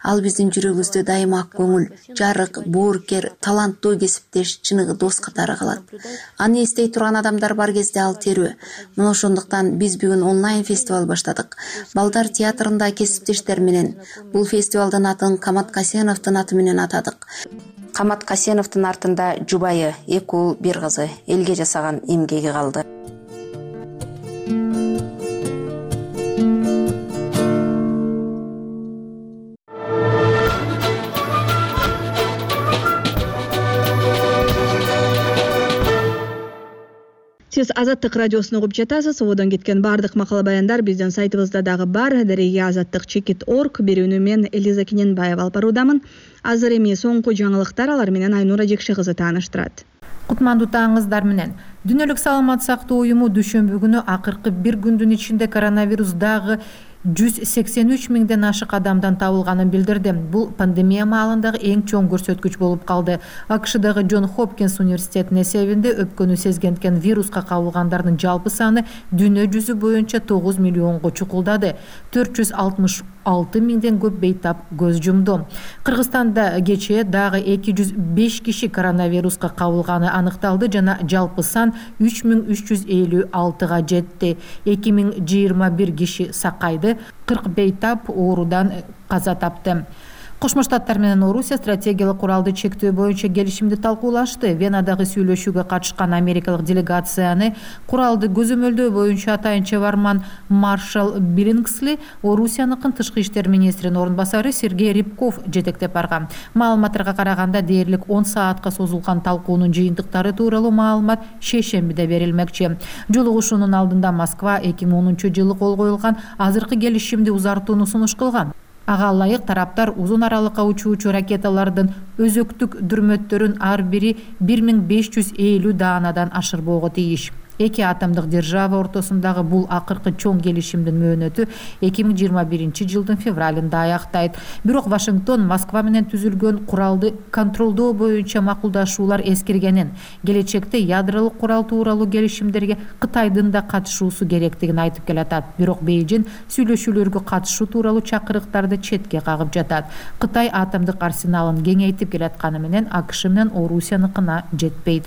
Ал биздин жүрөгүбүздө дайыма ак көңүл, жарык, боорукер, таланттуу кесиптеш, чыныгы дос катары калат. Аны эстей турган адамдар бар кезде ал терүү. Мына ошондуктан биз бүгүн онлайн фестиваль баштадык. Балдар театрында кесиптештер менен бул фестивалдын атын Камат Касеновдун аты менен атадык. Камат Касеновдун артында жубайы, эки уул, бир кызы, элге жасаган эмгеги калды. Сиз Азаттык радиосун угуп жатасыз. Ободон кеткен бардык макала баяндар биздин сайтыбызда дагы бар. Дареге азаттык чекит орг берүүнү мен Элиза Кененбаева алып баруудамын. Азыр эми соңку жаңылыктар, алар менен Айнура Жекши кызы тааныштырат. Кутмандуу таңыңыздар менен. Дүйнөлүк саламат сактоо уюму дүйшөмбү күнү акыркы бир күндүн ичинде коронавирус дагы жүз сексен үч миңден ашык адамдан табылганын билдирди. Бул пандемия маалындагы эң чоң көрсөткүч болуп калды. АКШдагы Джон Хопкинс университетинин эсебинде өпкөнү сезгенткен вируска кабылгандардын жалпы саны дүйнө жүзү боюнча тогуз миллионго чукулдады. төрт жүз алтымыш алты миңден көп бейтап көз жумду. Кыргызстанда кечээ дагы эки жүз беш киши коронавируска кабылганы аныкталды жана жалпы сан үч миң үч жүз элүү алтыга жетти. эки миң жыйырма бир киши сакайды, кырк бейтап оорудан каза тапты. Кошмо Штаттар менен Орусия стратегиялык куралды чектөө боюнча келишимди талкуулашты. Венадагы сүйлөшүүгө катышкан америкалык делегацияны куралды көзөмөлдөө боюнча атайын чебарман Маршал Биллингсли, Орусияныкын тышкы иштер министринин орун басары Сергей Рябков жетектеп барган. Маалыматтарга караганда дээрлик он саатка созулган талкуунун жыйынтыктары тууралуу маалымат шейшембиде берилмекчи. Жолугушуунун алдында Москва эки миң онунчу жылы кол коюлган азыркы келишимди узартууну сунуш кылган. Ага ылайык тараптар узун аралыкка учуучу ракеталардын өзөктүк дүрмөттөрүн ар бири бир миң беш жүз элүү даанадан ашырбоого тийиш. Эки атомдук держава ортосундагы бул акыркы чоң келишимдин мөөнөтү эки миң жыйырма биринчи жылдын февралында аяктайт. Бирок Вашингтон Москва менен түзүлгөн куралды контролдоо боюнча макулдашуулар эскергенин, келечекте ядролук курал тууралуу келишимдерге Кытайдын да катышуусу керектигин айтып келатат. Бирок Бейжин сүйлөшүүлөргө катышуу тууралуу чакырыктарды четке кагып жатат. Кытай атомдук арсеналын кеңейтип келатканы менен АКШ менен Орусияныкына жетпейт.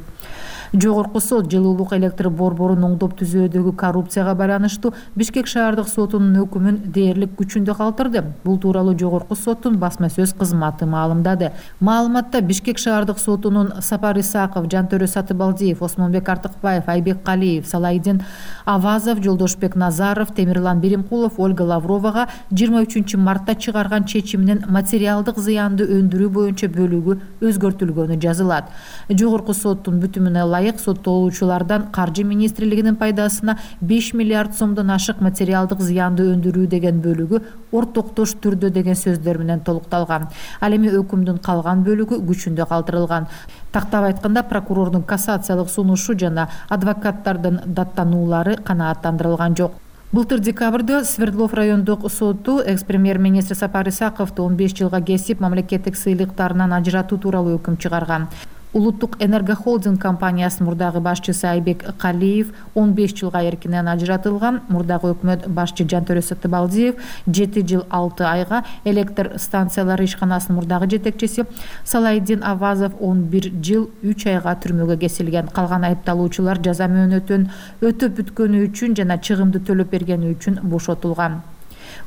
Жогорку сот жылуулук электр борборун оңдоп түзөөдөгү коррупцияга байланыштуу Бишкек шаардык сотунун өкүмүн дээрлик күчүндө калтырды. Бул тууралуу жогорку соттун басма сөз кызматы маалымдады. Маалыматта Бишкек шаардык сотунун Сапар Исаков, Жантөрө Сатыбалдиев, Осмонбек Артыкбаев, Айбек Калиев, Салайдин Авазов, Жолдошбек Назаров, Темирлан Беримкулов, Ольга Лавровага жыйырма үчүнчү мартта чыгарган чечиминин материалдык зыянды өндүрүү боюнча бөлүгү өзгөртүлгөнү жазылат. Жогорку соттун бүтүмүнө ылайык соттолуучулардан Каржы министрлигинин пайдасына беш миллиард сомдон ашык материалдык зыянды өндүрүү деген бөлүгү ортоктош түрдө деген сөздөр менен толукталган. Ал эми өкүмдүн калган бөлүгү күчүндө калтырылган. Тактап айтканда прокурордун кассациялык сунушу жана адвокаттардын даттануулары канааттандырылган жок. Былтыр декабрда Свердлов райондук соту экс-премьер-министр Сапар Исаковду он беш жылга кесип мамлекеттик сыйлыктарынан ажыратуу тууралуу өкүм чыгарган. Улуттук энергохолдинг компаниясынын мурдагы башчысы Айбек Калиев он беш жылга эркинен ажыратылган. Мурдагы өкмөт башчы Жантөрө Сатыбалдиев жети жыл алты айга, электр станциялары ишканасынын мурдагы жетекчиси Салайдин Авазов он бир жыл үч айга түрмөгө кесилген. Калган айыпталуучулар жаза мөөнөтүн өтөп бүткөнү үчүн жана чыгымды төлөп бергени үчүн бошотулган.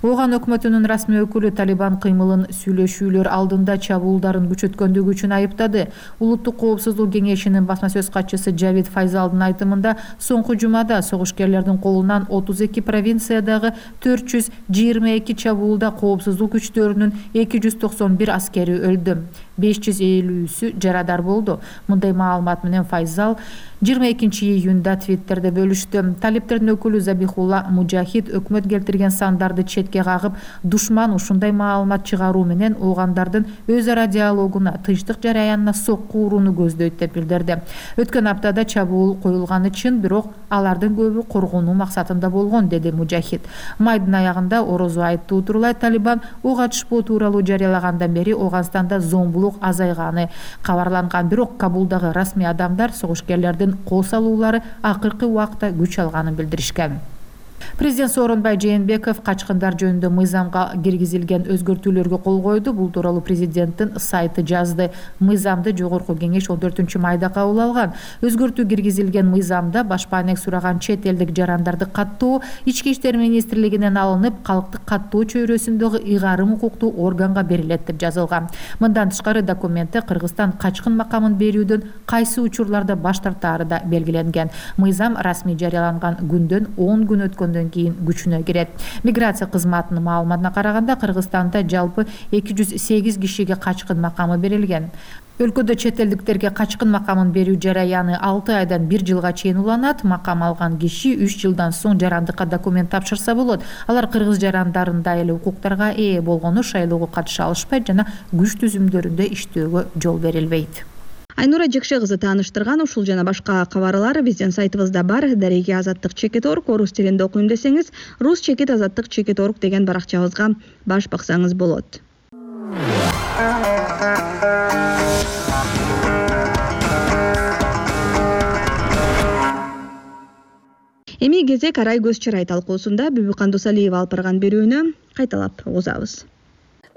Ооган өкмөтүнүн расмий өкүлү Талибан кыймылын сүйлөшүүлөр алдында чабуулдарын күчөткөндүгү үчүн айыптады. Улуттук коопсуздук кеңешинин басма сөз катчысы Жавид Файзалдын айтымында, соңку жумада согушкерлердин колунан отуз эки провинциядагы төрт жүз жыйырма эки чабуулда коопсуздук күчтөрүнүн эки жүз токсон бир аскери өлдү. беш жүз элүүсү жарадар болду. Мындай маалымат менен Файзал жыйырма экинчи июнда Твиттерде бөлүштү. Талиптердин өкүлү Забихулла Мужахид өкмөт келтирген сандарды четке кагып, душман ушундай маалымат чыгаруу менен оогандардын өз ара диалогуна, тынчтык жараянына сокку урууну көздөйт деп билдирди. Өткөн аптада чабуул коюлганы чын, бирок алардын көбү коргонуу максатында болгон, деди Мужахид. Майдын аягында орозо айттуу турулай Талибан ок атышпоо тууралуу жарыялагандан бери Ооганстанда зомбулук азайганы кабарланган, бирок Кабулдагы расмий адамдар согушкерлердин кол салуулары акыркы убакта күч алганын билдиришкен. Президент Сооронбай Жээнбеков качкындар жөнүндө мыйзамга киргизилген өзгөртүүлөргө кол койду. Бул тууралуу президенттин сайты жазды. Мыйзамды жогорку кеңеш он төртүнчү майда кабыл алган. Өзгөртүү киргизилген мыйзамда башпаанек сураган чет элдик жарандарды каттоо ички иштер министрлигинен алынып, калктык каттоо чөйрөсүндөгү ыйгарым укуктуу органга берилет деп жазылган. Мындан тышкары документте Кыргызстан качкын макамын берүүдөн кайсы учурларда баш тартаары да белгиленген. Мыйзам расмий жарыяланган күндөн он күн өткөн кийин күчүнө кирет. Миграция кызматынын маалыматына караганда Кыргызстанда жалпы эки жүз сегиз кишиге качкын макамы берилген. Өлкөдө чет элдиктерге качкын макамын берүү жараяны алты айдан бир жылга чейин уланат. Макам алган киши үч жылдан соң жарандыкка документ тапшырса болот. Алар кыргыз жарандарындай эле укуктарга ээ болгону шайлоого катыша алышпайт жана күч түзүмдөрүндө иштөөгө жол берилбейт. Айнура Жекше кызы тааныштырган ушул жана башка кабарлар биздин сайтыбызда бар. Дареги азаттык чекит орг, орус тилинде окуйм десеңиз, рус чекит азаттык чекит орг деген баракчабызга баш баксаңыз болот. Эми кезек арай көз чырай талкуусунда Бүбү Кандусалиева алып барган берүүнү кайталап угузабыз.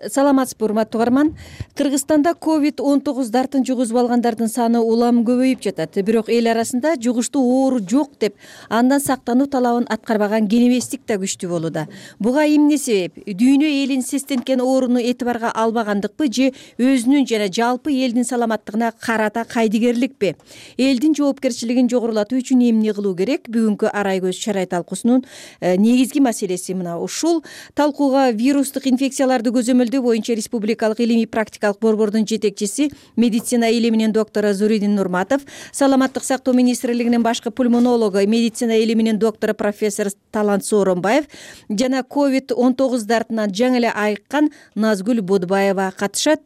саламатсызбы урматтуу угарман. Кыргызстанда ковид он тогуз дартын жугузуп алгандардын саны улам көбөйүп жатат. Бирок эл арасында жугуштуу оору жок деп андан сактануу талабын аткарбаган кенебестик да күчтүү болууда. Буга эмне себеп? Дүйнө элин сестенткен ооруну этибарга албагандыкпы же өзүнүн жана жалпы элдин саламаттыгына карата кайдыгерликпи? Элдин жоопкерчилигин жогорулатуу үчүн эмне кылуу керек? Бүгүнкү арай көз чарай талкуусунун негизги маселеси мына ушул. Талкууга вирустук инфекцияларды көзөмөлдөө боюнча республикалык илимий практикалык борбордун жетекчиси, медицина илиминин доктору Зуридин Нурматов, саламаттык сактоо министрлигинин башкы пульмонологу, медицина илиминин доктору профессор Талант Сооронбаев жана ковид он тогуз дартынан жаңы эле айыккан Назгүл Бодбаева катышат.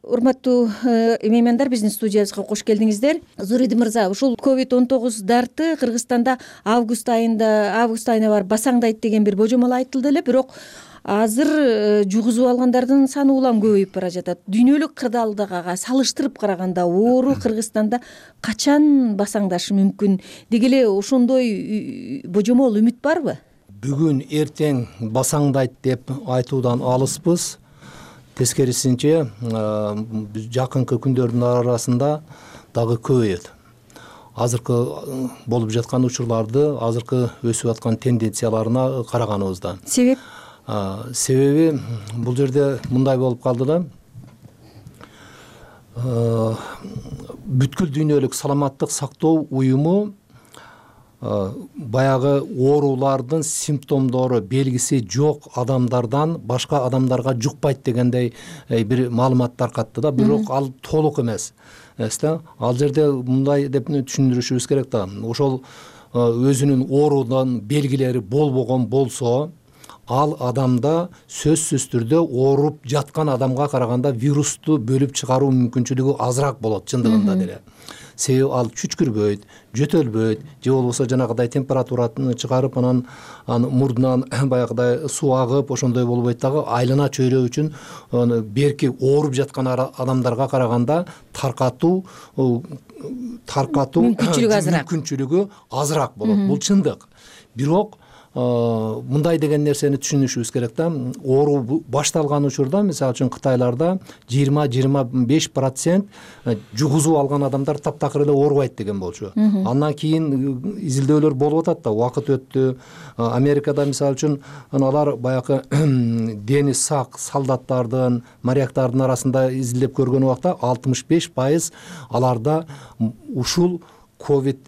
Урматтуу меймандар, биздин студиябызга кош келдиңиздер. Зуридин мырза, ушул ковид он тогуз дарты Кыргызстанда август айында август айына барып басаңдайт деген бир божомол айтылды эле, бирок азыр жугузуп алгандардын саны улам көбөйүп бара жатат. Дүйнөлүк кырдаалдыга салыштырып караганда оору Кыргызстанда качан басаңдашы мүмкүн? Деги эле ошондой божомол үмүт барбы? Бүгүн эртең басаңдайт деп айтуудан алыспыз. Тескерисинче жакынкы күндөрдүн арасында дагы көбөйөт. Азыркы болуп жаткан учурларды, азыркы өсүп аткан тенденцияларына караганыбызда. Себеп? Себеби бул жерде мындай болуп калды да, бүткүл дүйнөлүк саламаттык сактоо уюму баягы оорулардын симптомдору, белгиси жок адамдардан башка адамдарга жукпайт дегендей бир маалымат таркатты да, бирок ал толук эмес. Ал жерде мындай деп түшүндүрүшүбүз керек да, ошол өзүнүн оорудан белгилери болбогон болсо, ал адамда сөзсүз түрдө ооруп жаткан адамга караганда вирусту бөлүп чыгаруу мүмкүнчүлүгү азыраак болот чындыгында деле. Себеби ал чүчкүрбөйт, жөтөлбөйт, же болбосо жанагыдай температураны чыгарып, анан мурдунан баягыдай суу агып, ошондой болбойт дагы, айлана чөйрө үчүн берки ооруп жаткан адамдарга караганда таркатуу таркатуу мүмкүнчүлүгү азыраак болот. Бул чындык. Бирок мындай деген нерсени түшүнүшүбүз керек да, оору башталган учурда, мисалы үчүн Кытайларда жыйырма жыйырма беш процент жугузуп алган адамдар таптакыр эле оорубайт деген болчу. Андан кийин изилдөөлөр болуп атат да, убакыт өттү. Америкада мисалы үчүн алар баягы дени сак солдаттардын, моряктардын арасында изилдеп көргөн убакта алтымыш беш пайыз аларда ушул ковид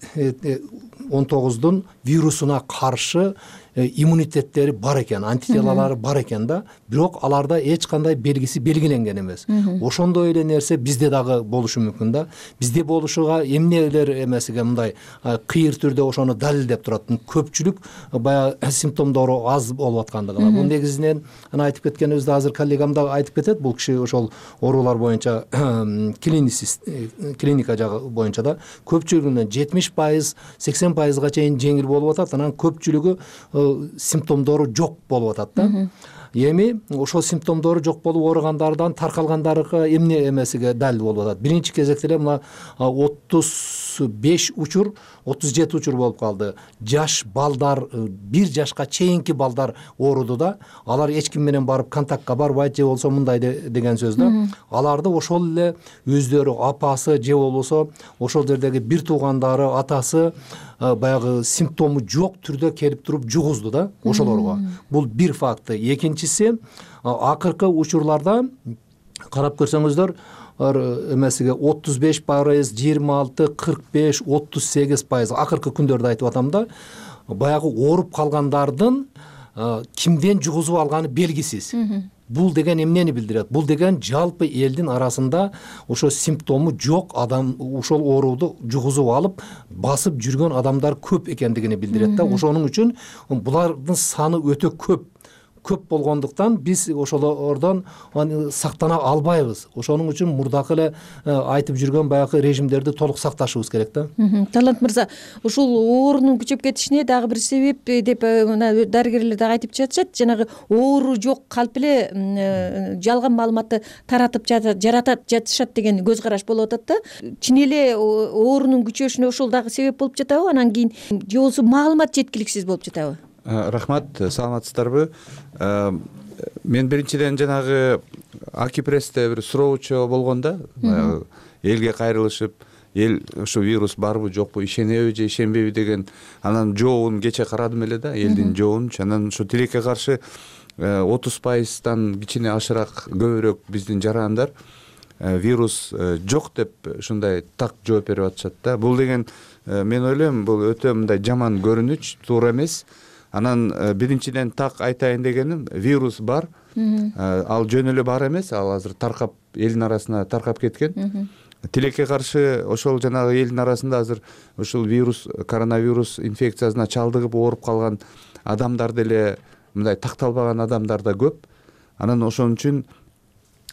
он тогуздун вирусуна каршы иммунитеттери бар экен, антителалары бар экен да, бирок аларда эч кандай белгиси белгиленген эмес. Ошондой эле нерсе бизде дагы болушу мүмкүн да. Бизде болушуга эмнелер эмесиге мындай кыйыр түрдө ошону далилдеп турат. Көпчүлүк баягы симптомдору аз болуп аткандыгына. Бул негизинен аны айтып кеткенибизде азыр коллегам да айтып кетет. Бул киши ошол оорулар боюнча клиницист, клиника жагы боюнча да көпчүлүгүнөн жетимиш пайыз, сексен пайызга чейин жеңил болуп атат. Анан көпчүлүгү симптомдору жок болуп атат да. Эми ошол симптомдору жок болуп ооругандардан таркалгандарга эмне эмесиге далил болуп атат. Биринчи кезекте эле мына отуз беш учур, отуз жети учур болуп калды. Жаш балдар, бир жашка чейинки балдар ооруду да. Алар эч ким менен барып контактка барбайт, же болсо мындай деген сөз да. Аларды ошол эле өздөрү апасы же болбосо ошол жердеги бир туугандары, атасы баягы симптому жок түрдө келип туруп жугузду да ошолорго. Бул бир факты. Экинчиси, акыркы учурларда карап көрсөңүздөр, эмесиге отуз беш пайыз, жыйырма алты, кырк беш, отуз сегиз пайыз акыркы күндөрдө айтып атам да, баягы ооруп калгандардын кимден жугузуп алганы белгисиз. Бул деген эмнени билдирет? Бул деген жалпы элдин арасында ошо симптому жок адам ошол ооруду жугузуп алып басып жүргөн адамдар көп экендигини билдирет да. Ошонун үчүн булардын саны өтө көп. Көп болгондуктан биз ошолордон сактана албайбыз. Ошонун үчүн мурдакы эле айтып жүргөн баягы режимдерди толук сакташыбыз керек да. Талант мырза, ушул оорунун күчөп кетишине дагы бир себеп деп дарыгерлер дагы айтып жатышат. Жанагы оору жок калп эле жалган маалыматты таратып жаратат жатышат деген көз караш болуп атат да. Чын эле оорунун күчөшүнө ошол дагы себеп болуп жатабы? Анан кийин же болбосо маалымат жеткиликсиз болуп жатабы? Рахмат, саламатсыздарбы? Мен биринчиден жанагы аки прессте бир суроочу болгондо баягы элге кайрылышып, эл ушу вирус барбы жокпу, ишенеби же ишенбейби деген анан жообун кече карадым эле да, элдин жообунчу. Анан ушу тилекке каршы отуз пайыздан кичине ашыраак көбүрөөк биздин жарандар вирус жок деп ушундай так жооп берип атышат да. Бул деген мен ойлойм бул өтө мындай жаман көрүнүч, туура эмес. Анан биринчиден так айтайын дегеним, вирус бар, ал жөн эле бар эмес, ал азыр таркап элдин арасына таркап кеткен. Тилекке каршы ошол жанагы элдин арасында азыр ушул вирус, коронавирус инфекциясына чалдыгып ооруп калган адамдар деле мындай такталбаган адамдар да көп. Анан ошон үчүн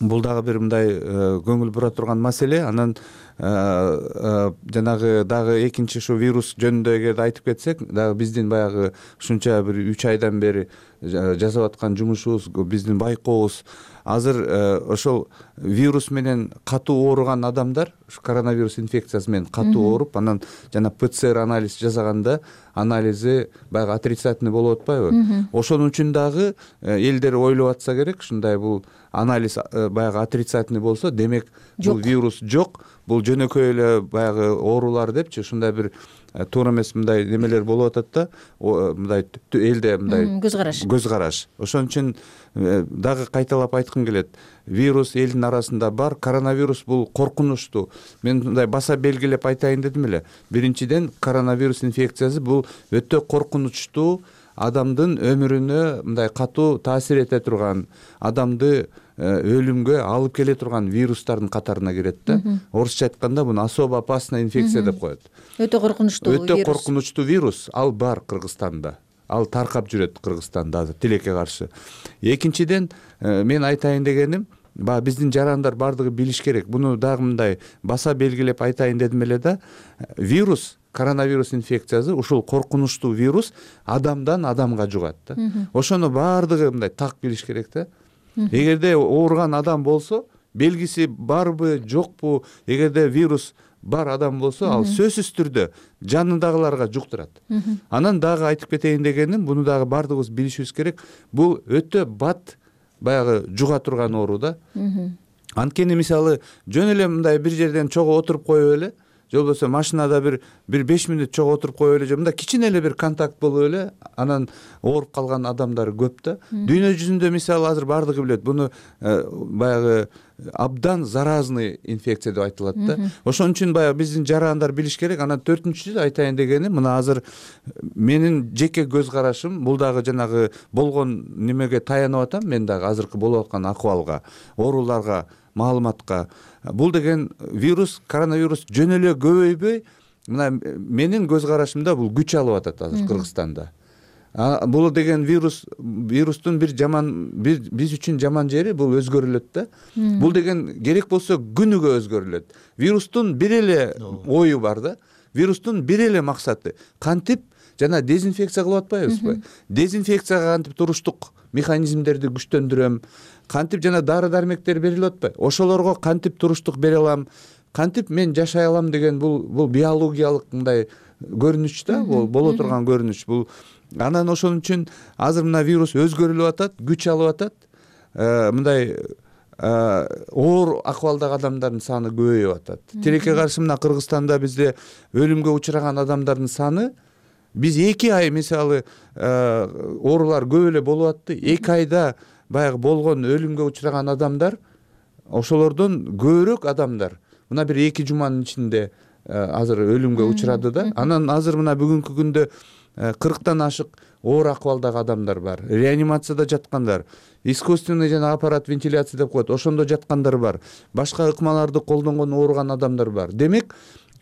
бул дагы бир мындай көңүл бура турган маселе. Анан жанагы дагы экинчи ушу вирус жөнүндө эгерде айтып кетсек, дагы биздин баягы ушунча бир үч айдан бери жасап аткан жумушубуз, биздин байкообуз азыр ошол вирус менен катуу ооруган адамдар, коронавирус инфекциясы менен катуу ооруп, анан жана ПЦР анализ жасаганда анализи баягы отрицательный болуп атпайбы? Ошон үчүн дагы элдер ойлоп атса керек, ушундай бул анализ баягы отрицательный болсо, демек бул вирус жок, бул жөнөкөй эле баягы оорулар депчи, ушундай бир туура эмес мындай немелер болуп атат да, мындай элде мындай көз караш. Көз караш. Ошон үчүн дагы кайталап айткым келет. Вирус элдин арасында бар, коронавирус бул коркунучтуу. Мен мындай баса белгилеп айтайын дедим эле. Биринчиден, коронавирус инфекциясы бул өтө коркунучтуу, адамдын өмүрүнө мындай катуу таасир эте турган, адамды өлүмгө алып келе турган вирустардын катарына кирет да. Орусча айтканда буну особо опасная инфекция деп коет. Өтө коркунучтуу вирус. Өтө коркунучтуу вирус, ал бар Кыргызстанда. Ал таркап жүрөт Кыргызстанда азыр тилекке каршы. Экинчиден, мен айтайын дегеним, баягы биздин жарандар бардыгы билиш керек. Буну дагы мындай баса белгилеп айтайын дедим эле да. Вирус, коронавирус инфекциясы, ушул коркунучтуу вирус адамдан адамга жугат да. Ошону бардыгы мындай так билиш керек да. Эгерде ооруган адам болсо, белгиси барбы, жокпу, эгерде вирус бар адам болсо, ал сөзсүз түрдө жанындагыларга жуктурат. Анан дагы айтып кетейин дегеним, буну дагы бардыгыбыз билишибиз керек. Бул өтө бат баягы жуга турган оору да. Анткени мисалы жөн эле мындай бир жерден чогуу отуруп коюп эле, же болбосо машинада бир бир беш минут чогуу отуруп коюп эле, же мындай кичине эле бир контакт болуп эле, анан ооруп калган адамдар көп да. Дүйнө жүзүндө мисалы азыр бардыгы билет, буну баягы абдан заразный инфекция деп айтылат да. Ошон үчүн баягы биздин жарандар билиш керек. Анан төртүнчүсү айтайын дегеним, мына азыр менин жеке көз карашым, бул дагы жанагы болгон немеге таянып атам, мен дагы азыркы болуп аткан акыбалга, ооруларга, маалыматка. Бул деген вирус, коронавирус жөн эле көбөйбөй, мына менин көз карашымда бул күч алып атат азыр Кыргызстанда. Бул деген вирус, вирустун бир жаман, бир биз үчүн жаман жери бул өзгөрүлөт да. Бул деген керек болсо күнүгө өзгөрүлөт. Вирустун бир эле ою бар да. Вирустун бир эле максаты кантип жана дезинфекция кылып атпайбызбы? Дезинфекцияга кантип туруштук механизмдерди күчтөндүрөм, кантип жана дары-дармектер берилип атпайбы? Ошолорго кантип туруштук бере алам, кантип мен жашай алам деген бул бул биологиялык мындай көрүнүч да, бул боло турган көрүнүч. Бул анан ошон үчүн азыр мына вирус өзгөрүлүп атат, күч алып атат. Мындай оор акыбалдагы адамдардын саны көбөйүп атат. Тилекке каршы мына Кыргызстанда бизде өлүмгө учураган адамдардын саны, биз эки ай мисалы оорулар көп эле болуп атты. эки айда баягы болгон өлүмгө учураган адамдар ошолордон көбүрөөк адамдар мына бир эки жуманын ичинде азыр өлүмгө учурады да. Анан азыр мына бүгүнкү күндө кырктан ашык оор акыбалдагы адамдар бар. Реанимацияда жаткандар, искусственный жана аппарат вентиляция деп коет, ошондо жаткандар бар. Башка ыкмаларды колдонгон ооруган адамдар бар. Демек,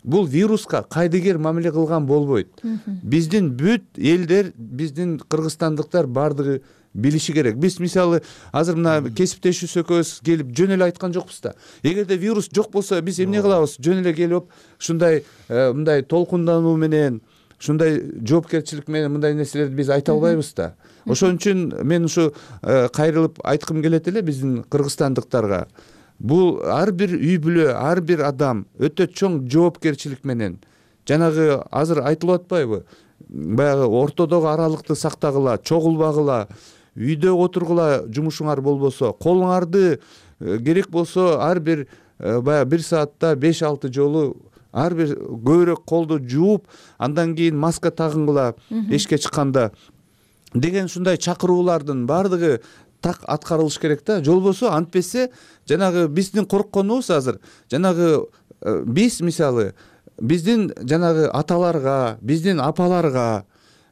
бул вируска кайдыгер мамиле кылган болбойт. Биздин бүт элдер, биздин кыргызстандыктар бардыгы билиши керек. Биз мисалы азыр мына кесиптешүүбүз экөөбүз келип жөн эле айткан жокпуз да. Эгерде вирус жок болсо биз эмне кылабыз? Жөн эле келип ушундай мындай толкундануу менен, ушундай жоопкерчилик менен мындай нерселерди биз айта албайбыз да. Ошон үчүн мен ушу кайрылып айткым келет эле биздин кыргызстандыктарга. Бул ар бир үй бүлө, ар бир адам өтө чоң жоопкерчилик менен, жанагы азыр айтылып атпайбы? Баягы ортодогу аралыкты сактагыла, чогулбагыла, үйдө отургула жумушуңар болбосо, колуңарды керек болсо ар бир баягы бир саатта беш алты жолу ар бир көбүрөөк колду жууп, андан кийин маска тагынгыла эшикке чыкканда деген ушундай чакыруулардын баардыгы так аткарылыш керек да. Жолбосо антпесе жанагы биздин коркконубуз азыр жанагы биз мисалы биздин жанагы аталарга, биздин апаларга,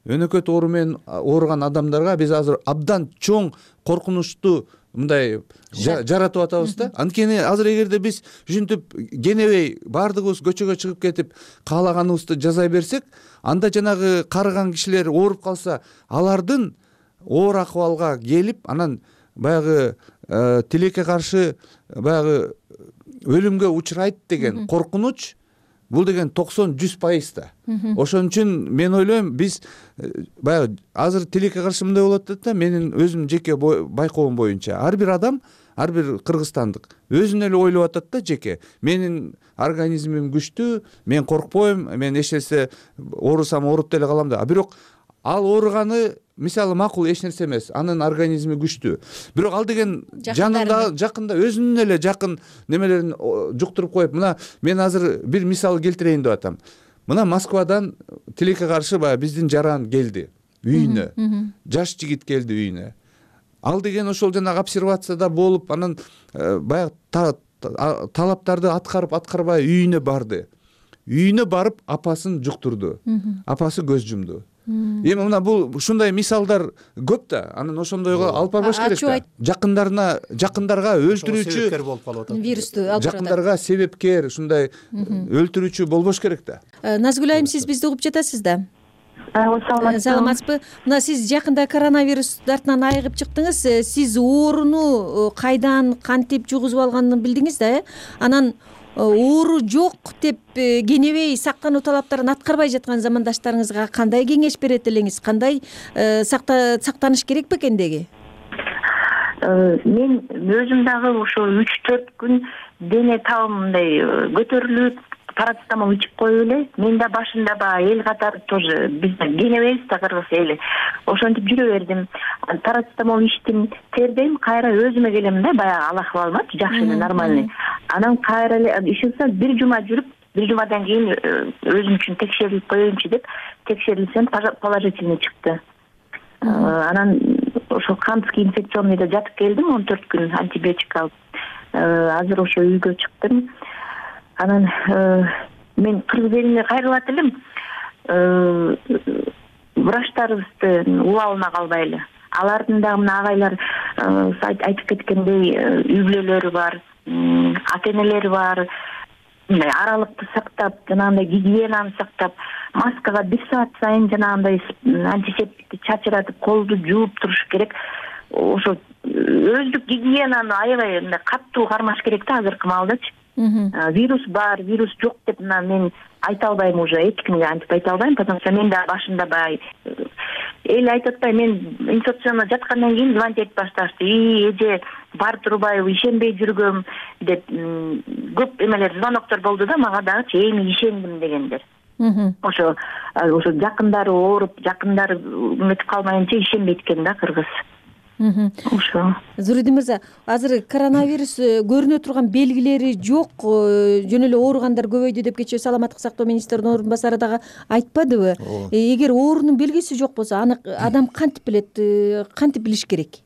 өнөкөт оору менен ооруган адамдарга биз азыр абдан чоң коркунучту мындай жаратып атабыз да. Анткени азыр эгерде биз ушинтип кенебей баардыгыбыз көчөгө чыгып кетип каалаганыбызды жасай берсек, анда жанагы карыган кишилер ооруп калса, алардын оор акыбалга келип, анан баягы тилекке каршы баягы өлүмгө учурайт деген коркунуч, бул деген токсон жүз пайыз да. Ошон үчүн мен ойлойм, биз баягы азыр тилекке каршы мындай болуп атат да, менин өзүм жеке байкоом боюнча ар бир адам, ар бир кыргызстандык өзүн эле ойлоп атат да жеке. Менин организмим күчтүү, мен коркпойм, мен эч нерсе оорусам ооруп деле калам да. Бирок ал ооруганы мисалы макул эч нерсе эмес, анын организми күчтүү. Бирок ал деген жанында, жакында өзүнүн эле жакын немелерин жуктуруп коюп, мына мен азыр бир мисал келтирейин деп атам. Мына Москвадан тилекке каршы баягы биздин жаран келди үйүнө. Жаш жигит келди үйүнө. Ал деген ошол жанагы обсервацияда болуп, анан баягы талаптарды аткарып аткарбай үйүнө барды. Үйүнө барып апасын жуктурду. Апасы көз жумду. Эми мына бул ушундай мисалдар көп да. Анан ошондойго алып барбаш керек да. Жакындарына, жакындарга өлтүрүүчү вирусту алып барат. Жакындарга себепкер, ушундай өлтүрүүчү болбош керек да. Назгүл айым, сиз бизди угуп жатасыз да? Саламатсызбы? Мына сиз жакында коронавирус дартынан айыгып чыктыңыз. Сиз ооруну кайдан, кантип жугузуп алганын билдиңиз да, э? Анан оору жок деп кенебей сактануу талаптарын аткарбай жаткан замандаштарыңызга кандай кеңеш берет элеңиз? Кандай сактаныш керек бекен деги? Мен өзүм дагы ошо үч төрт күн дене табым мындай көтөрүлүп, парацетамол ичип коюп эле, мен да башында баягы эл катары тоже биз кенебейбиз да кыргыз эли. Ошентип жүрө бердим. Парацетамол ичтим, тердейм, кайра өзүмө келем да, баягы ал акыбалымачы жакшы эле, нормальный. Анан кайра эле ишинсе бир жума жүрүп, бир жумадан кийин өзүм үчүн текшерилип коеюнчу деп текшерилсем положительный чыкты. Анан ошо кандский инфекционныйда жатып келдим он төрт күн антибиотик алып. Азыр ошо үйгө чыктым. Анан мен кыргыз элине кайрылат элем. Врачтарыбызды убалына калбайлы. Алардын дагы мына агайлар айтып кеткендей үй бүлөлөрү бар, ата-энелери бар. Мындай аралыкты сактап, жанагындай гигиенаны сактап, маскага бир саат сайын жанагындай антисептикти чачыратып, колду жууп туруш керек. Ошо өздүк гигиенаны аябай мындай катуу кармаш керек да азыркы маалдачы. Вирус бар, вирус жок деп мына мен айта албайм, уже эч кимге антип айта албайм, потому что мен да башында бай эл айтып атпайбы, мен инфекционно жаткандан кийин звонить этип башташты. И эже бар турбайбы, ишенбей жүргөм деп көп эмелер, звоноктор болду да мага дагычы, эми ишендим дегендер. Ошо ошо жакындары ооруп, жакындары үмүтүп калмайынча ишенбейт экен да кыргыз. Ошо. Зуридин мырза, азыр коронавирус көрүнө турган белгилери жок, жөн эле ооругандар көбөйдү деп кечээ саламаттык сактоо министринин орун басары дагы айтпадыбы? Эгер оорунун белгиси жок болсо, аны адам кантип билет, кантип билиш керек?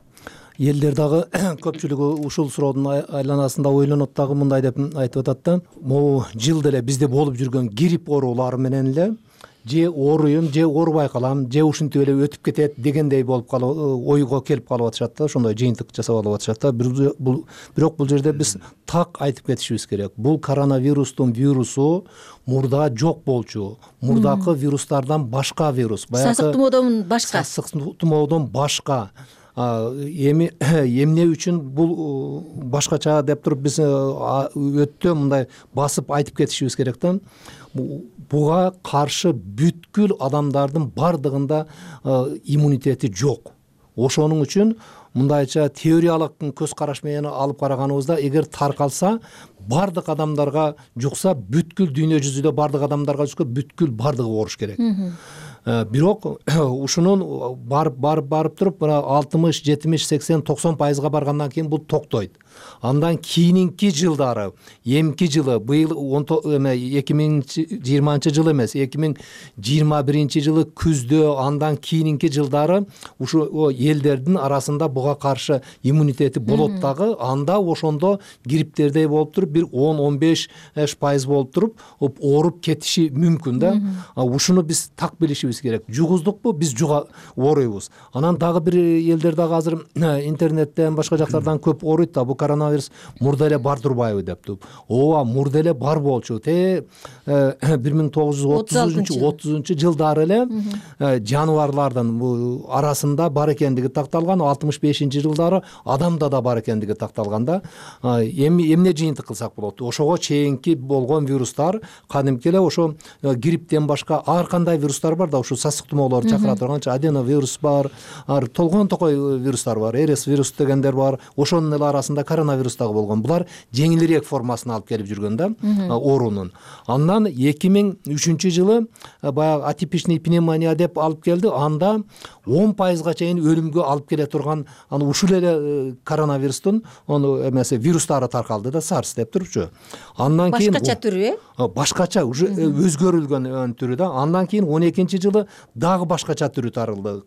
Элдер дагы көпчүлүгү ушул суроодун айланасында ойлонот дагы мындай деп айтып атат да. Могу жылда эле бизде болуп жүргөн грипп оорулары менен эле же ооруйм, же оорубай калам, же ушинтип эле өтүп кетет дегендей болуп калып, ойго келип калып атышат да, ошондой жыйынтык жасап алып атышат да. Бирок бул жерде биз так айтып кетишибиз керек. Бул коронавирустун вирусу мурда жок болчу. Мурдакы вирустардан башка вирус. Сасык тумоодон башка. Сасык тумоодон башка. Эми эмне үчүн бул башкача деп туруп биз өтө мындай басып айтып кетишибиз керек да. Буга каршы бүткүл адамдардын бардыгында иммунитети жок. Ошонун үчүн мындайча теориялык көз караш менен алып караганыбызда, эгер таркалса, бардык адамдарга жукса, бүткүл дүйнө жүзүндө бардык адамдарга жукса, бүткүл бардыгы ооруш керек. бирок ушунун барып барып барып туруп мына алтымыш жетимиш сексен токсон пайызга баргандан кийин бул токтойт. Андан кийинки жылдары эмки жылы быйыл эки миң жыйырманчы жыл эмес эки миң жыйырма биринчи жылы күздө андан кийинки жылдары ушу элдердин арасында буга каршы иммунитети болот дагы анда ошондо грипптердей болуп туруп бир он он беш пайыз болуп туруп ооруп кетиши мүмкүн да. Ушуну биз так билишибиз керек. Жугуздукпу биз жуга ооруйбуз. Анан дагы бир элдер дагы азыр интернеттен башка жактардан көп ооруйт да, бу коронавирус мурда эле бар турбайбы деп туруп. Ооба мурда эле бар болчу. Те бир миң тогуз жүз отузунчу отузунчу жылдары эле жаныбарлардын бул арасында бар экендиги такталган, алтымыш бешинчи жылдары адамда да бар экендиги такталган да. Эми эмне жыйынтык кылсак болот? Ошого чейинки болгон вирустар кадимки эле ошо грипптен башка ар кандай вирустар бар да, ушу сасык тумоолор чакыра турганчы аденовирус бар, толгон токой вирустар бар, эрс вирус дегендер бар. Ошонун эле арасында коронавирус дагы болгон. Булар жеңилирээк формасын алып келип жүргөн да оорунун. Андан эки миң үчүнчү жылы баягы атипичный пневмония деп алып келди. Анда он пайызга чейин өлүмгө алып келе турган аны ушул эле коронавирустун ону эмеси вирустары таркалды да, сарс деп турупчу. Андан кийин башкача түрү э? Башкача уже өзгөрүлгөн түрү да. Андан кийин он экинчи жылы дагы башкача түрү таралды,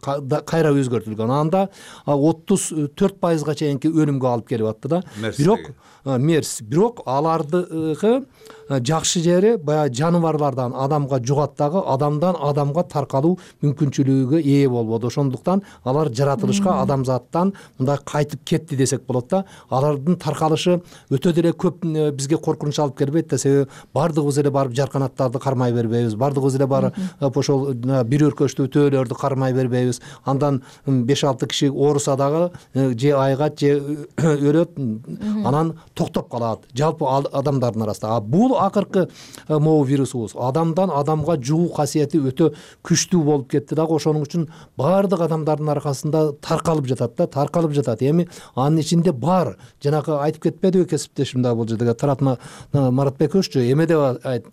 кайра өзгөртүлгөн. Анда отуз төрт пайызга чейинки өлүмгө алып келип атты да. Бирок мерс, бирок алардыгы жакшы жери баягы жаныбарлардан адамга жугат дагы, адамдан адамга таркалуу мүмкүнчүлүгүгө ээ болбоду. Ошондуктан алар жаратылышка адамзаттан мындай кайтып кетти десек болот да. Алардын таркалышы өтө деле көп бизге коркунуч алып келбейт да, себеби бардыгыбыз эле барып жарканаттарды кармай бербейбиз, бардыгыбыз эле барып ошол бир өркөчтүү төөлөрдү кармай бербейбиз. Андан беш алты киши ооруса дагы же айгат же өлөт, анан токтоп калат жалпы адамдардын арасында. А бул акыркы могу вирусубуз адамдан адамга жугуу касиети өтө күчтүү болуп кетти дагы. Ошонун үчүн баардык адамдардын аркасында таркалып жатат да, таркалып жатат. Эми анын ичинде бар, жанагы айтып кетпедиби кесиптешим да бул жерде Таратма Маратбековиччу, эме деп айт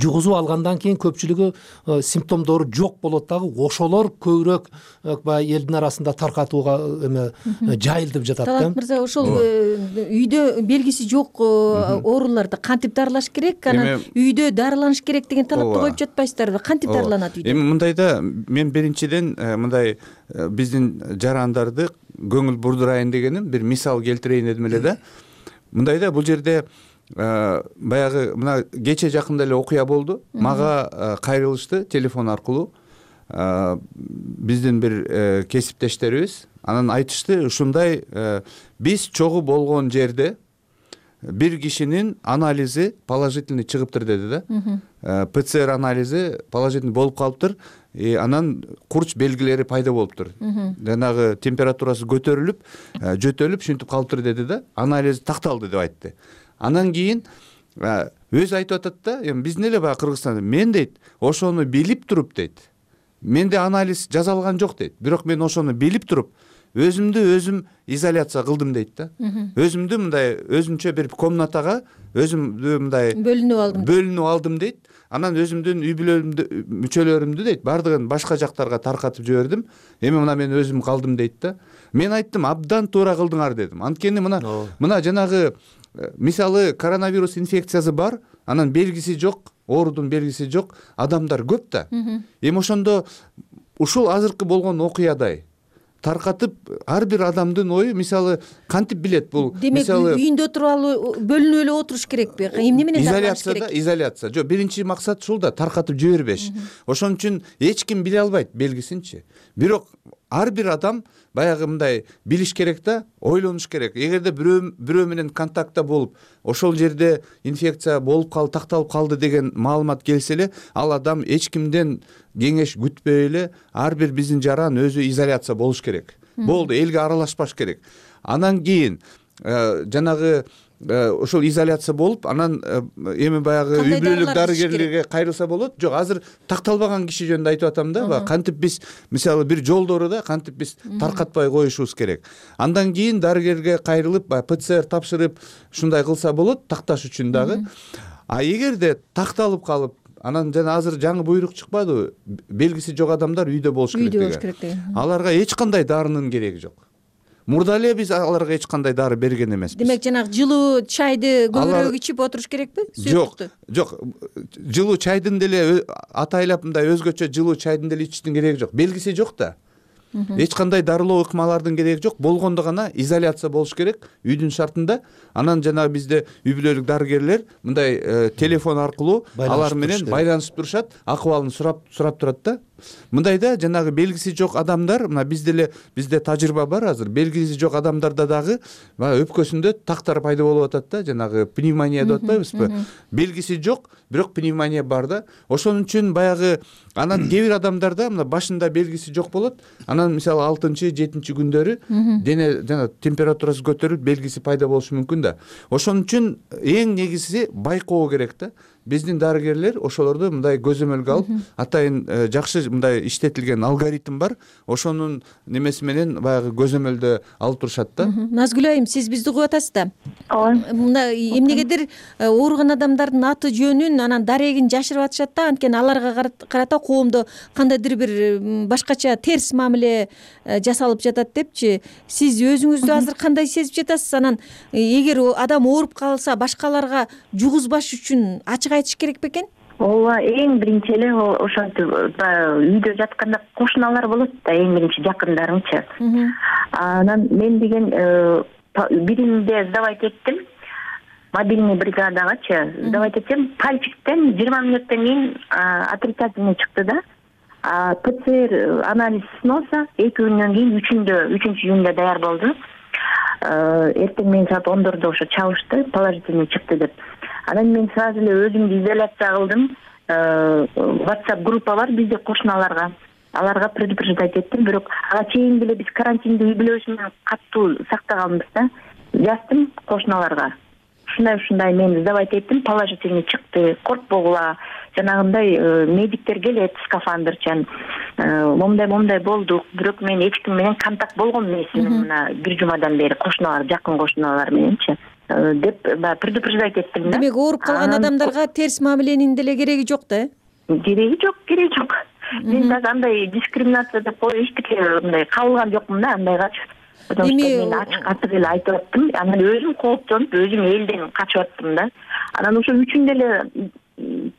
жугузуп алгандан кийин көпчүлүгү симптомдору жок болот дагы, ошолор көбүрөөк баягы элдин арасында таркатууга эме жайылтып жатат да. Талант мырза, ошол үйдө белгиси жок ооруларды кантип дарылаш керек, анан үйдө дарыланыш керек деген талапты коюп жатпайсыздарбы? Кантип дарыланат үйдө? Эми мындайда мен биринчиден мындай биздин жарандарды көңүл бурдурайын дегеним бир мисал келтирейин дедим эле да. Мындайда бул жерде баягы мына кече жакында эле окуя болду. Мага кайрылышты телефон аркылуу биздин бир кесиптештерибиз. Анан айтышты, ушундай биз чогуу болгон жерде бир кишинин анализи положительный чыгыптыр деди да. ПЦР анализи положительный болуп калыптыр. Анан курч белгилери пайда болуптур. Жанагы температурасы көтөрүлүп, жөтөлүп ушинтип калыптыр деди да. Анализ такталды деп айтты. Анан кийин өзү айтып атат да, эми биздин эле баягы Кыргызстанда мен дейт, ошону билип туруп дейт. Менде анализ жасалган жок дейт. Бирок мен ошону билип туруп өзүмдү өзүм изоляция кылдым дейт да. Өзүмдү мындай өзүнчө бир комнатага өзүмдү мындай бөлүнүп алдым. Бөлүнүп алдым дейт. Анан өзүмдүн үй бүлөмдү мүчөлөрүмдү дейт бардыгын башка жактарга таркатып жибердим. Эми мына мен өзүм калдым дейт да. Мен айттым, абдан туура кылдыңар дедим. Анткени мына мына жанагы мисалы коронавирус инфекциясы бар, анан белгиси жок, оорудун белгиси жок адамдар көп да. Эми ошондо ушул азыркы болгон окуядай таркатып ар бир адамдын ою мисалы кантип билет бул? Мисалы үйүндө туруп бөлүнүп эле отуруш керекпи? Эмне менен дарылаш керек? Изоляцияда, изоляция. Жок, биринчи максат ушул да, таркатып жибербеш. Ошон үчүн эч ким биле албайт белгисинчи. Бирок ар бир адам баягы мындай билиш керек да, ойлонуш керек. Эгерде бирөө бирөө менен контактта болуп, ошол жерде инфекция болуп калды, такталып калды деген маалымат келсе эле, ал адам эч кимден кеңеш күтпөй эле ар бир биздин жаран өзү изоляция болуш керек. Болду, элге аралашпаш керек. Анан кийин жанагы ошол изоляция болуп, анан эми баягы үй бүлөлүк дарыгерлерге кайрылса болот. Жок, азыр такталбаган киши жөнүндө айтып атам да. Кантип биз мисалы бир жолдору да кантип биз таркатпай коюшубуз керек. Андан кийин дарыгерге кайрылып, ПЦР тапшырып, ушундай кылса болот, такташ үчүн дагы. А эгерде такталып калып, анан жана азыр жаңы буйрук чыкпадыбы, белгиси жок адамдар үйдө болуш керек үйдө болуш керек деген. Аларга эч кандай дарынын кереги жок. Мурда эле биз аларга эч кандай дары берген эмеспиз. Демек жанагы жылуу чайды көбүрөөк ичип отуруш керекпи? Жок, жок. Жылуу чайдын деле атайлап мындай өзгөчө жылуу чайдын деле ичиштин кереги жок. Белгиси жок да. Эч кандай дарылоо ыкмалардын кереги жок. Болгондо гана изоляция болуш керек үйдүн шартында. Анан жанагы бизде үй бүлөлүк дарыгерлер мындай телефон аркылуу алар менен байланышып турушат, акыбалын сурап сурап турат да. Мындайда жанагы белгиси жок адамдар, мына бизде эле бизде тажрыйба бар азыр. Белгиси жок адамдарда дагы өпкөсүндө тактар пайда болуп атат да, жанагы пневмония деп атпайбызбы? Белгиси жок, бирок пневмония бар да. Ошон үчүн баягы анан кээ бир адамдарда мына башында белгиси жок болот. Анан мисалы алтынчы, жетинчи күндөрү дене жана температурасы көтөрүлүп, белгиси пайда болушу мүмкүн да. Ошон үчүн эң негизги байкоо керек да. Биздин дарыгерлер ошолорду мындай көзөмөлгө алып, атайын жакшы мындай иштетилген алгоритм бар. Ошонун немеси менен баягы көзөмөлдө алып турушат да. Назгүл айым, сиз бизди угуп атасыз да? Ооба. Мына эмнегедир ооруган адамдардын аты жөнүн, анан дарегин жашырып атышат да, анткени аларга карата коомдо кандайдыр бир башкача терс мамиле жасалып жатат депчи. Сиз өзүңүздү азыр кандай сезип жатасыз? Анан эгер адам ооруп калса, башкаларга жугузбаш үчүн ачык айтыш керек бекен? Ооба, эң биринчи эле ошентип үйдө жатканда кошуналар болот да, эң биринчи жакындарыңчы. Анан мен деген биринде сдавать эттим, мобильный бригадагачы сдавать этсем, пальчиктен жыйырма мүнөттөн кийин отрицательный чыкты да. ПЦР анализ сыноосо эки күндөн кийин үчүндө үчүнчү күндө даяр болду. Эртең менен саат ондордо ошо чалышты, положительный чыкты деп. Анан мен сразу эле өзүмдү изоляция кылдым. WhatsApp группа бар бизде кошуналарга. Аларга предупреждать эттим, бирок ага чейин деле биз карантинди үй бүлөбүз менен катуу сактаганбыз да. Жаздым кошуналарга. Ушундай ушундай мен сдавать эттим, положительный чыкты. Коркпогула, жанагындай медиктер келет, скафандрчан. Момдай момдай болдук, бирок мен эч ким менен контакт болгон эмесмин мына бир жумадан бери кошуналар, жакын кошуналар мененчи деп предупреждать эттим да. Демек ооруп калган адамдарга терс мамиленин деле кереги жок да? Кереги жок, кереги жок. Мен дагы андай дискриминация деп коюп эчтеке мындай кабылган жокмун да андайгачы. Потому что мен ачык ачык эле айтып аттым. Анан өзүм кооптонуп, өзүм элден качып аттым да. Анан ошо үчүндө эле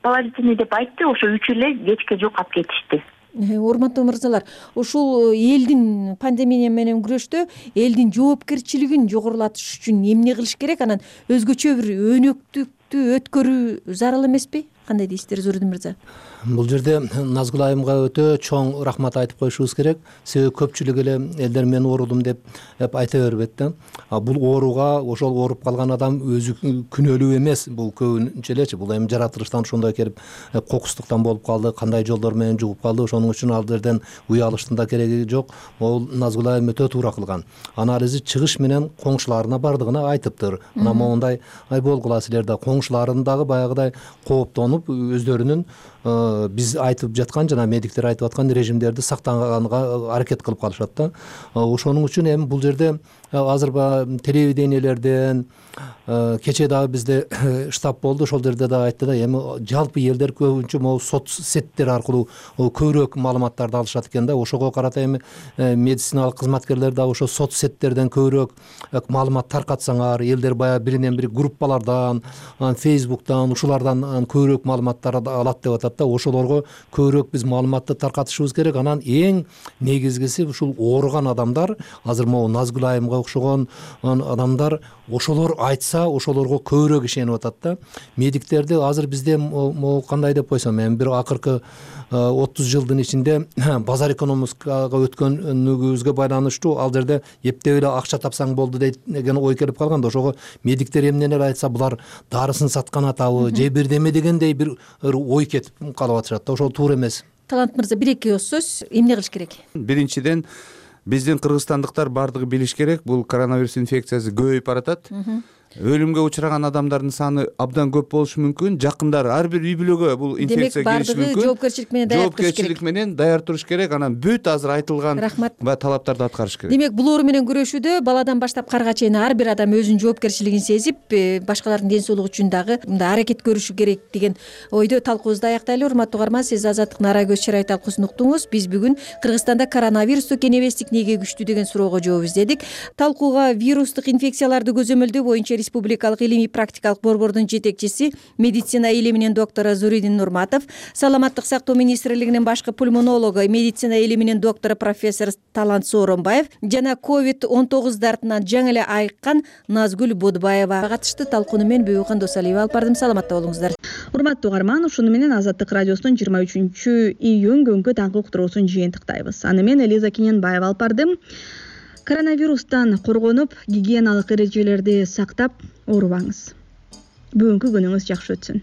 положительный деп айтты, ошо үчөө эле кечке жокап кетишти. Урматтуу мырзалар, ушул элдин пандемия менен күрөштө элдин жоопкерчилигин жогорулатыш үчүн эмне кылыш керек? Анан өзгөчө бир өнөктүктү өткөрүү зарыл эмеспи? Кандай дейсиздер, Зурудин мырза? Бул жерде Назгүл айымга өтө чоң рахмат айтып коюшубуз керек. Себеби көпчүлүк эле элдер мен оорудум деп айта бербейт да. Бул ооруга ошол ооруп калган адам өзү күнөөлүү эмес. Бул көбүнчө элечи бул эми жаратылыштан ошондой келип кокустуктан болуп калды, кандай жолдор менен жугуп калды. Ошоның үчүн ал жерден уялыштын да кереги жок. Ол Назгүл айым өтө туура кылган. Анализи чыгыш менен коңшуларына бардыгына айтыптыр. Мына моундай ай болгула силер да коңшуларын дагы баягыдай кооптонуп өздөрүнүн биз айтып жаткан жана медиктер айтып аткан режимдерди сактаганга аракет кылып калышат да. Ошонун үчүн эми бул жерде азыр телевидениелерден кечээ дагы бизде штаб болду, ошол жерде дагы айтты да, эми жалпы элдер көбүнчө могу соц сеттер аркылуу көбүрөөк маалыматтарды алышат экен да. Ошого карата эми медициналык кызматкерлер дагы ошо соц сеттерден көбүрөөк маалымат таркатсаңар, элдер баягы биринен бири группалардан, Facebook'тан, ушулардан көбүрөөк маалыматтарды алат деп атат да. Ошолорго көбүрөөк биз маалыматты таркатышыбыз керек. Анан эң негизгиси ушул ооруган адамдар, азыр могу Назгүл айымга окшогон адамдар, ошолор айтса ошолорго көбүрөөк ишенип атат да. Медиктерди азыр бизде могу кандай деп койсом, эми бир акыркы отуз жылдын ичинде базар экономикага өткөнүбүзгө байланыштуу ал жерде эптеп эле акча тапсаң болду деген ой келип калган да. Ошого медиктер эмнени айтса булар дарысын саткан атабы же бирдеме дегендей бир ой кетип калып атышат да. Ошол туура эмес. Талант мырза, бир эки сөз эмне кылыш керек? Биринчиден биздин кыргызстандыктар бардыгы билиш керек, бул коронавирус инфекциясы көбөйүп баратат. өлүмгө учураган адамдардын саны абдан көп болушу мүмкүн. Жакындары ар бир үй бүлөгө бул инфекция келиши мүмкүн. Демек бардыгы жоопкерчилик менен даяр туруш керек. Жоопкерчилик менен даяр туруш керек. Анан бүт азыр айтылган баягы талаптарды аткарыш керек. Демек булоору менен күрөшүүдө баладан баштап карга чейин ар бир адам өзүнүн жоопкерчилигин сезип, башкалардын ден соолугу үчүн дагы мындай аракет көрүшү керек деген ойдо талкуубузду аяктайлы. Урматтуу угарман, сиз Азаттыктын ара көз чырай талкуусун уктуңуз. Биз бүгүн Кыргызстанда коронавирусту кенебестик эмнеге күчтүү деген суроого жооп издедик. Талкууга вирустук инфекцияларды көзөмөлдөө боюнча республикалык илимий практикалык борбордун жетекчиси, медицина илиминин доктору Зуридин Нурматов, саламаттык сактоо министрлигинин башкы пульмонологу, медицина илиминин доктору профессор Талант Сооронбаев жана ковид он тогуз дартынан жаңы эле айыккан Назгүл Бодбаева катышты. Талкууну мен Бүйөкөн Досалиева алып бардым. Саламатта болуңуздар. Урматтуу угарман, ушуну менен Азаттык радиосунун жыйырма үчүнчү июнь күнгү таңкы уктуруусун жыйынтыктайбыз. Аны мен Элиза Кененбаева алып бардым. Коронавирустан коргонуп, гигиеналык эрежелерди сактап оорубаңыз. Бүгүнкү күнүңүз жакшы өтсүн.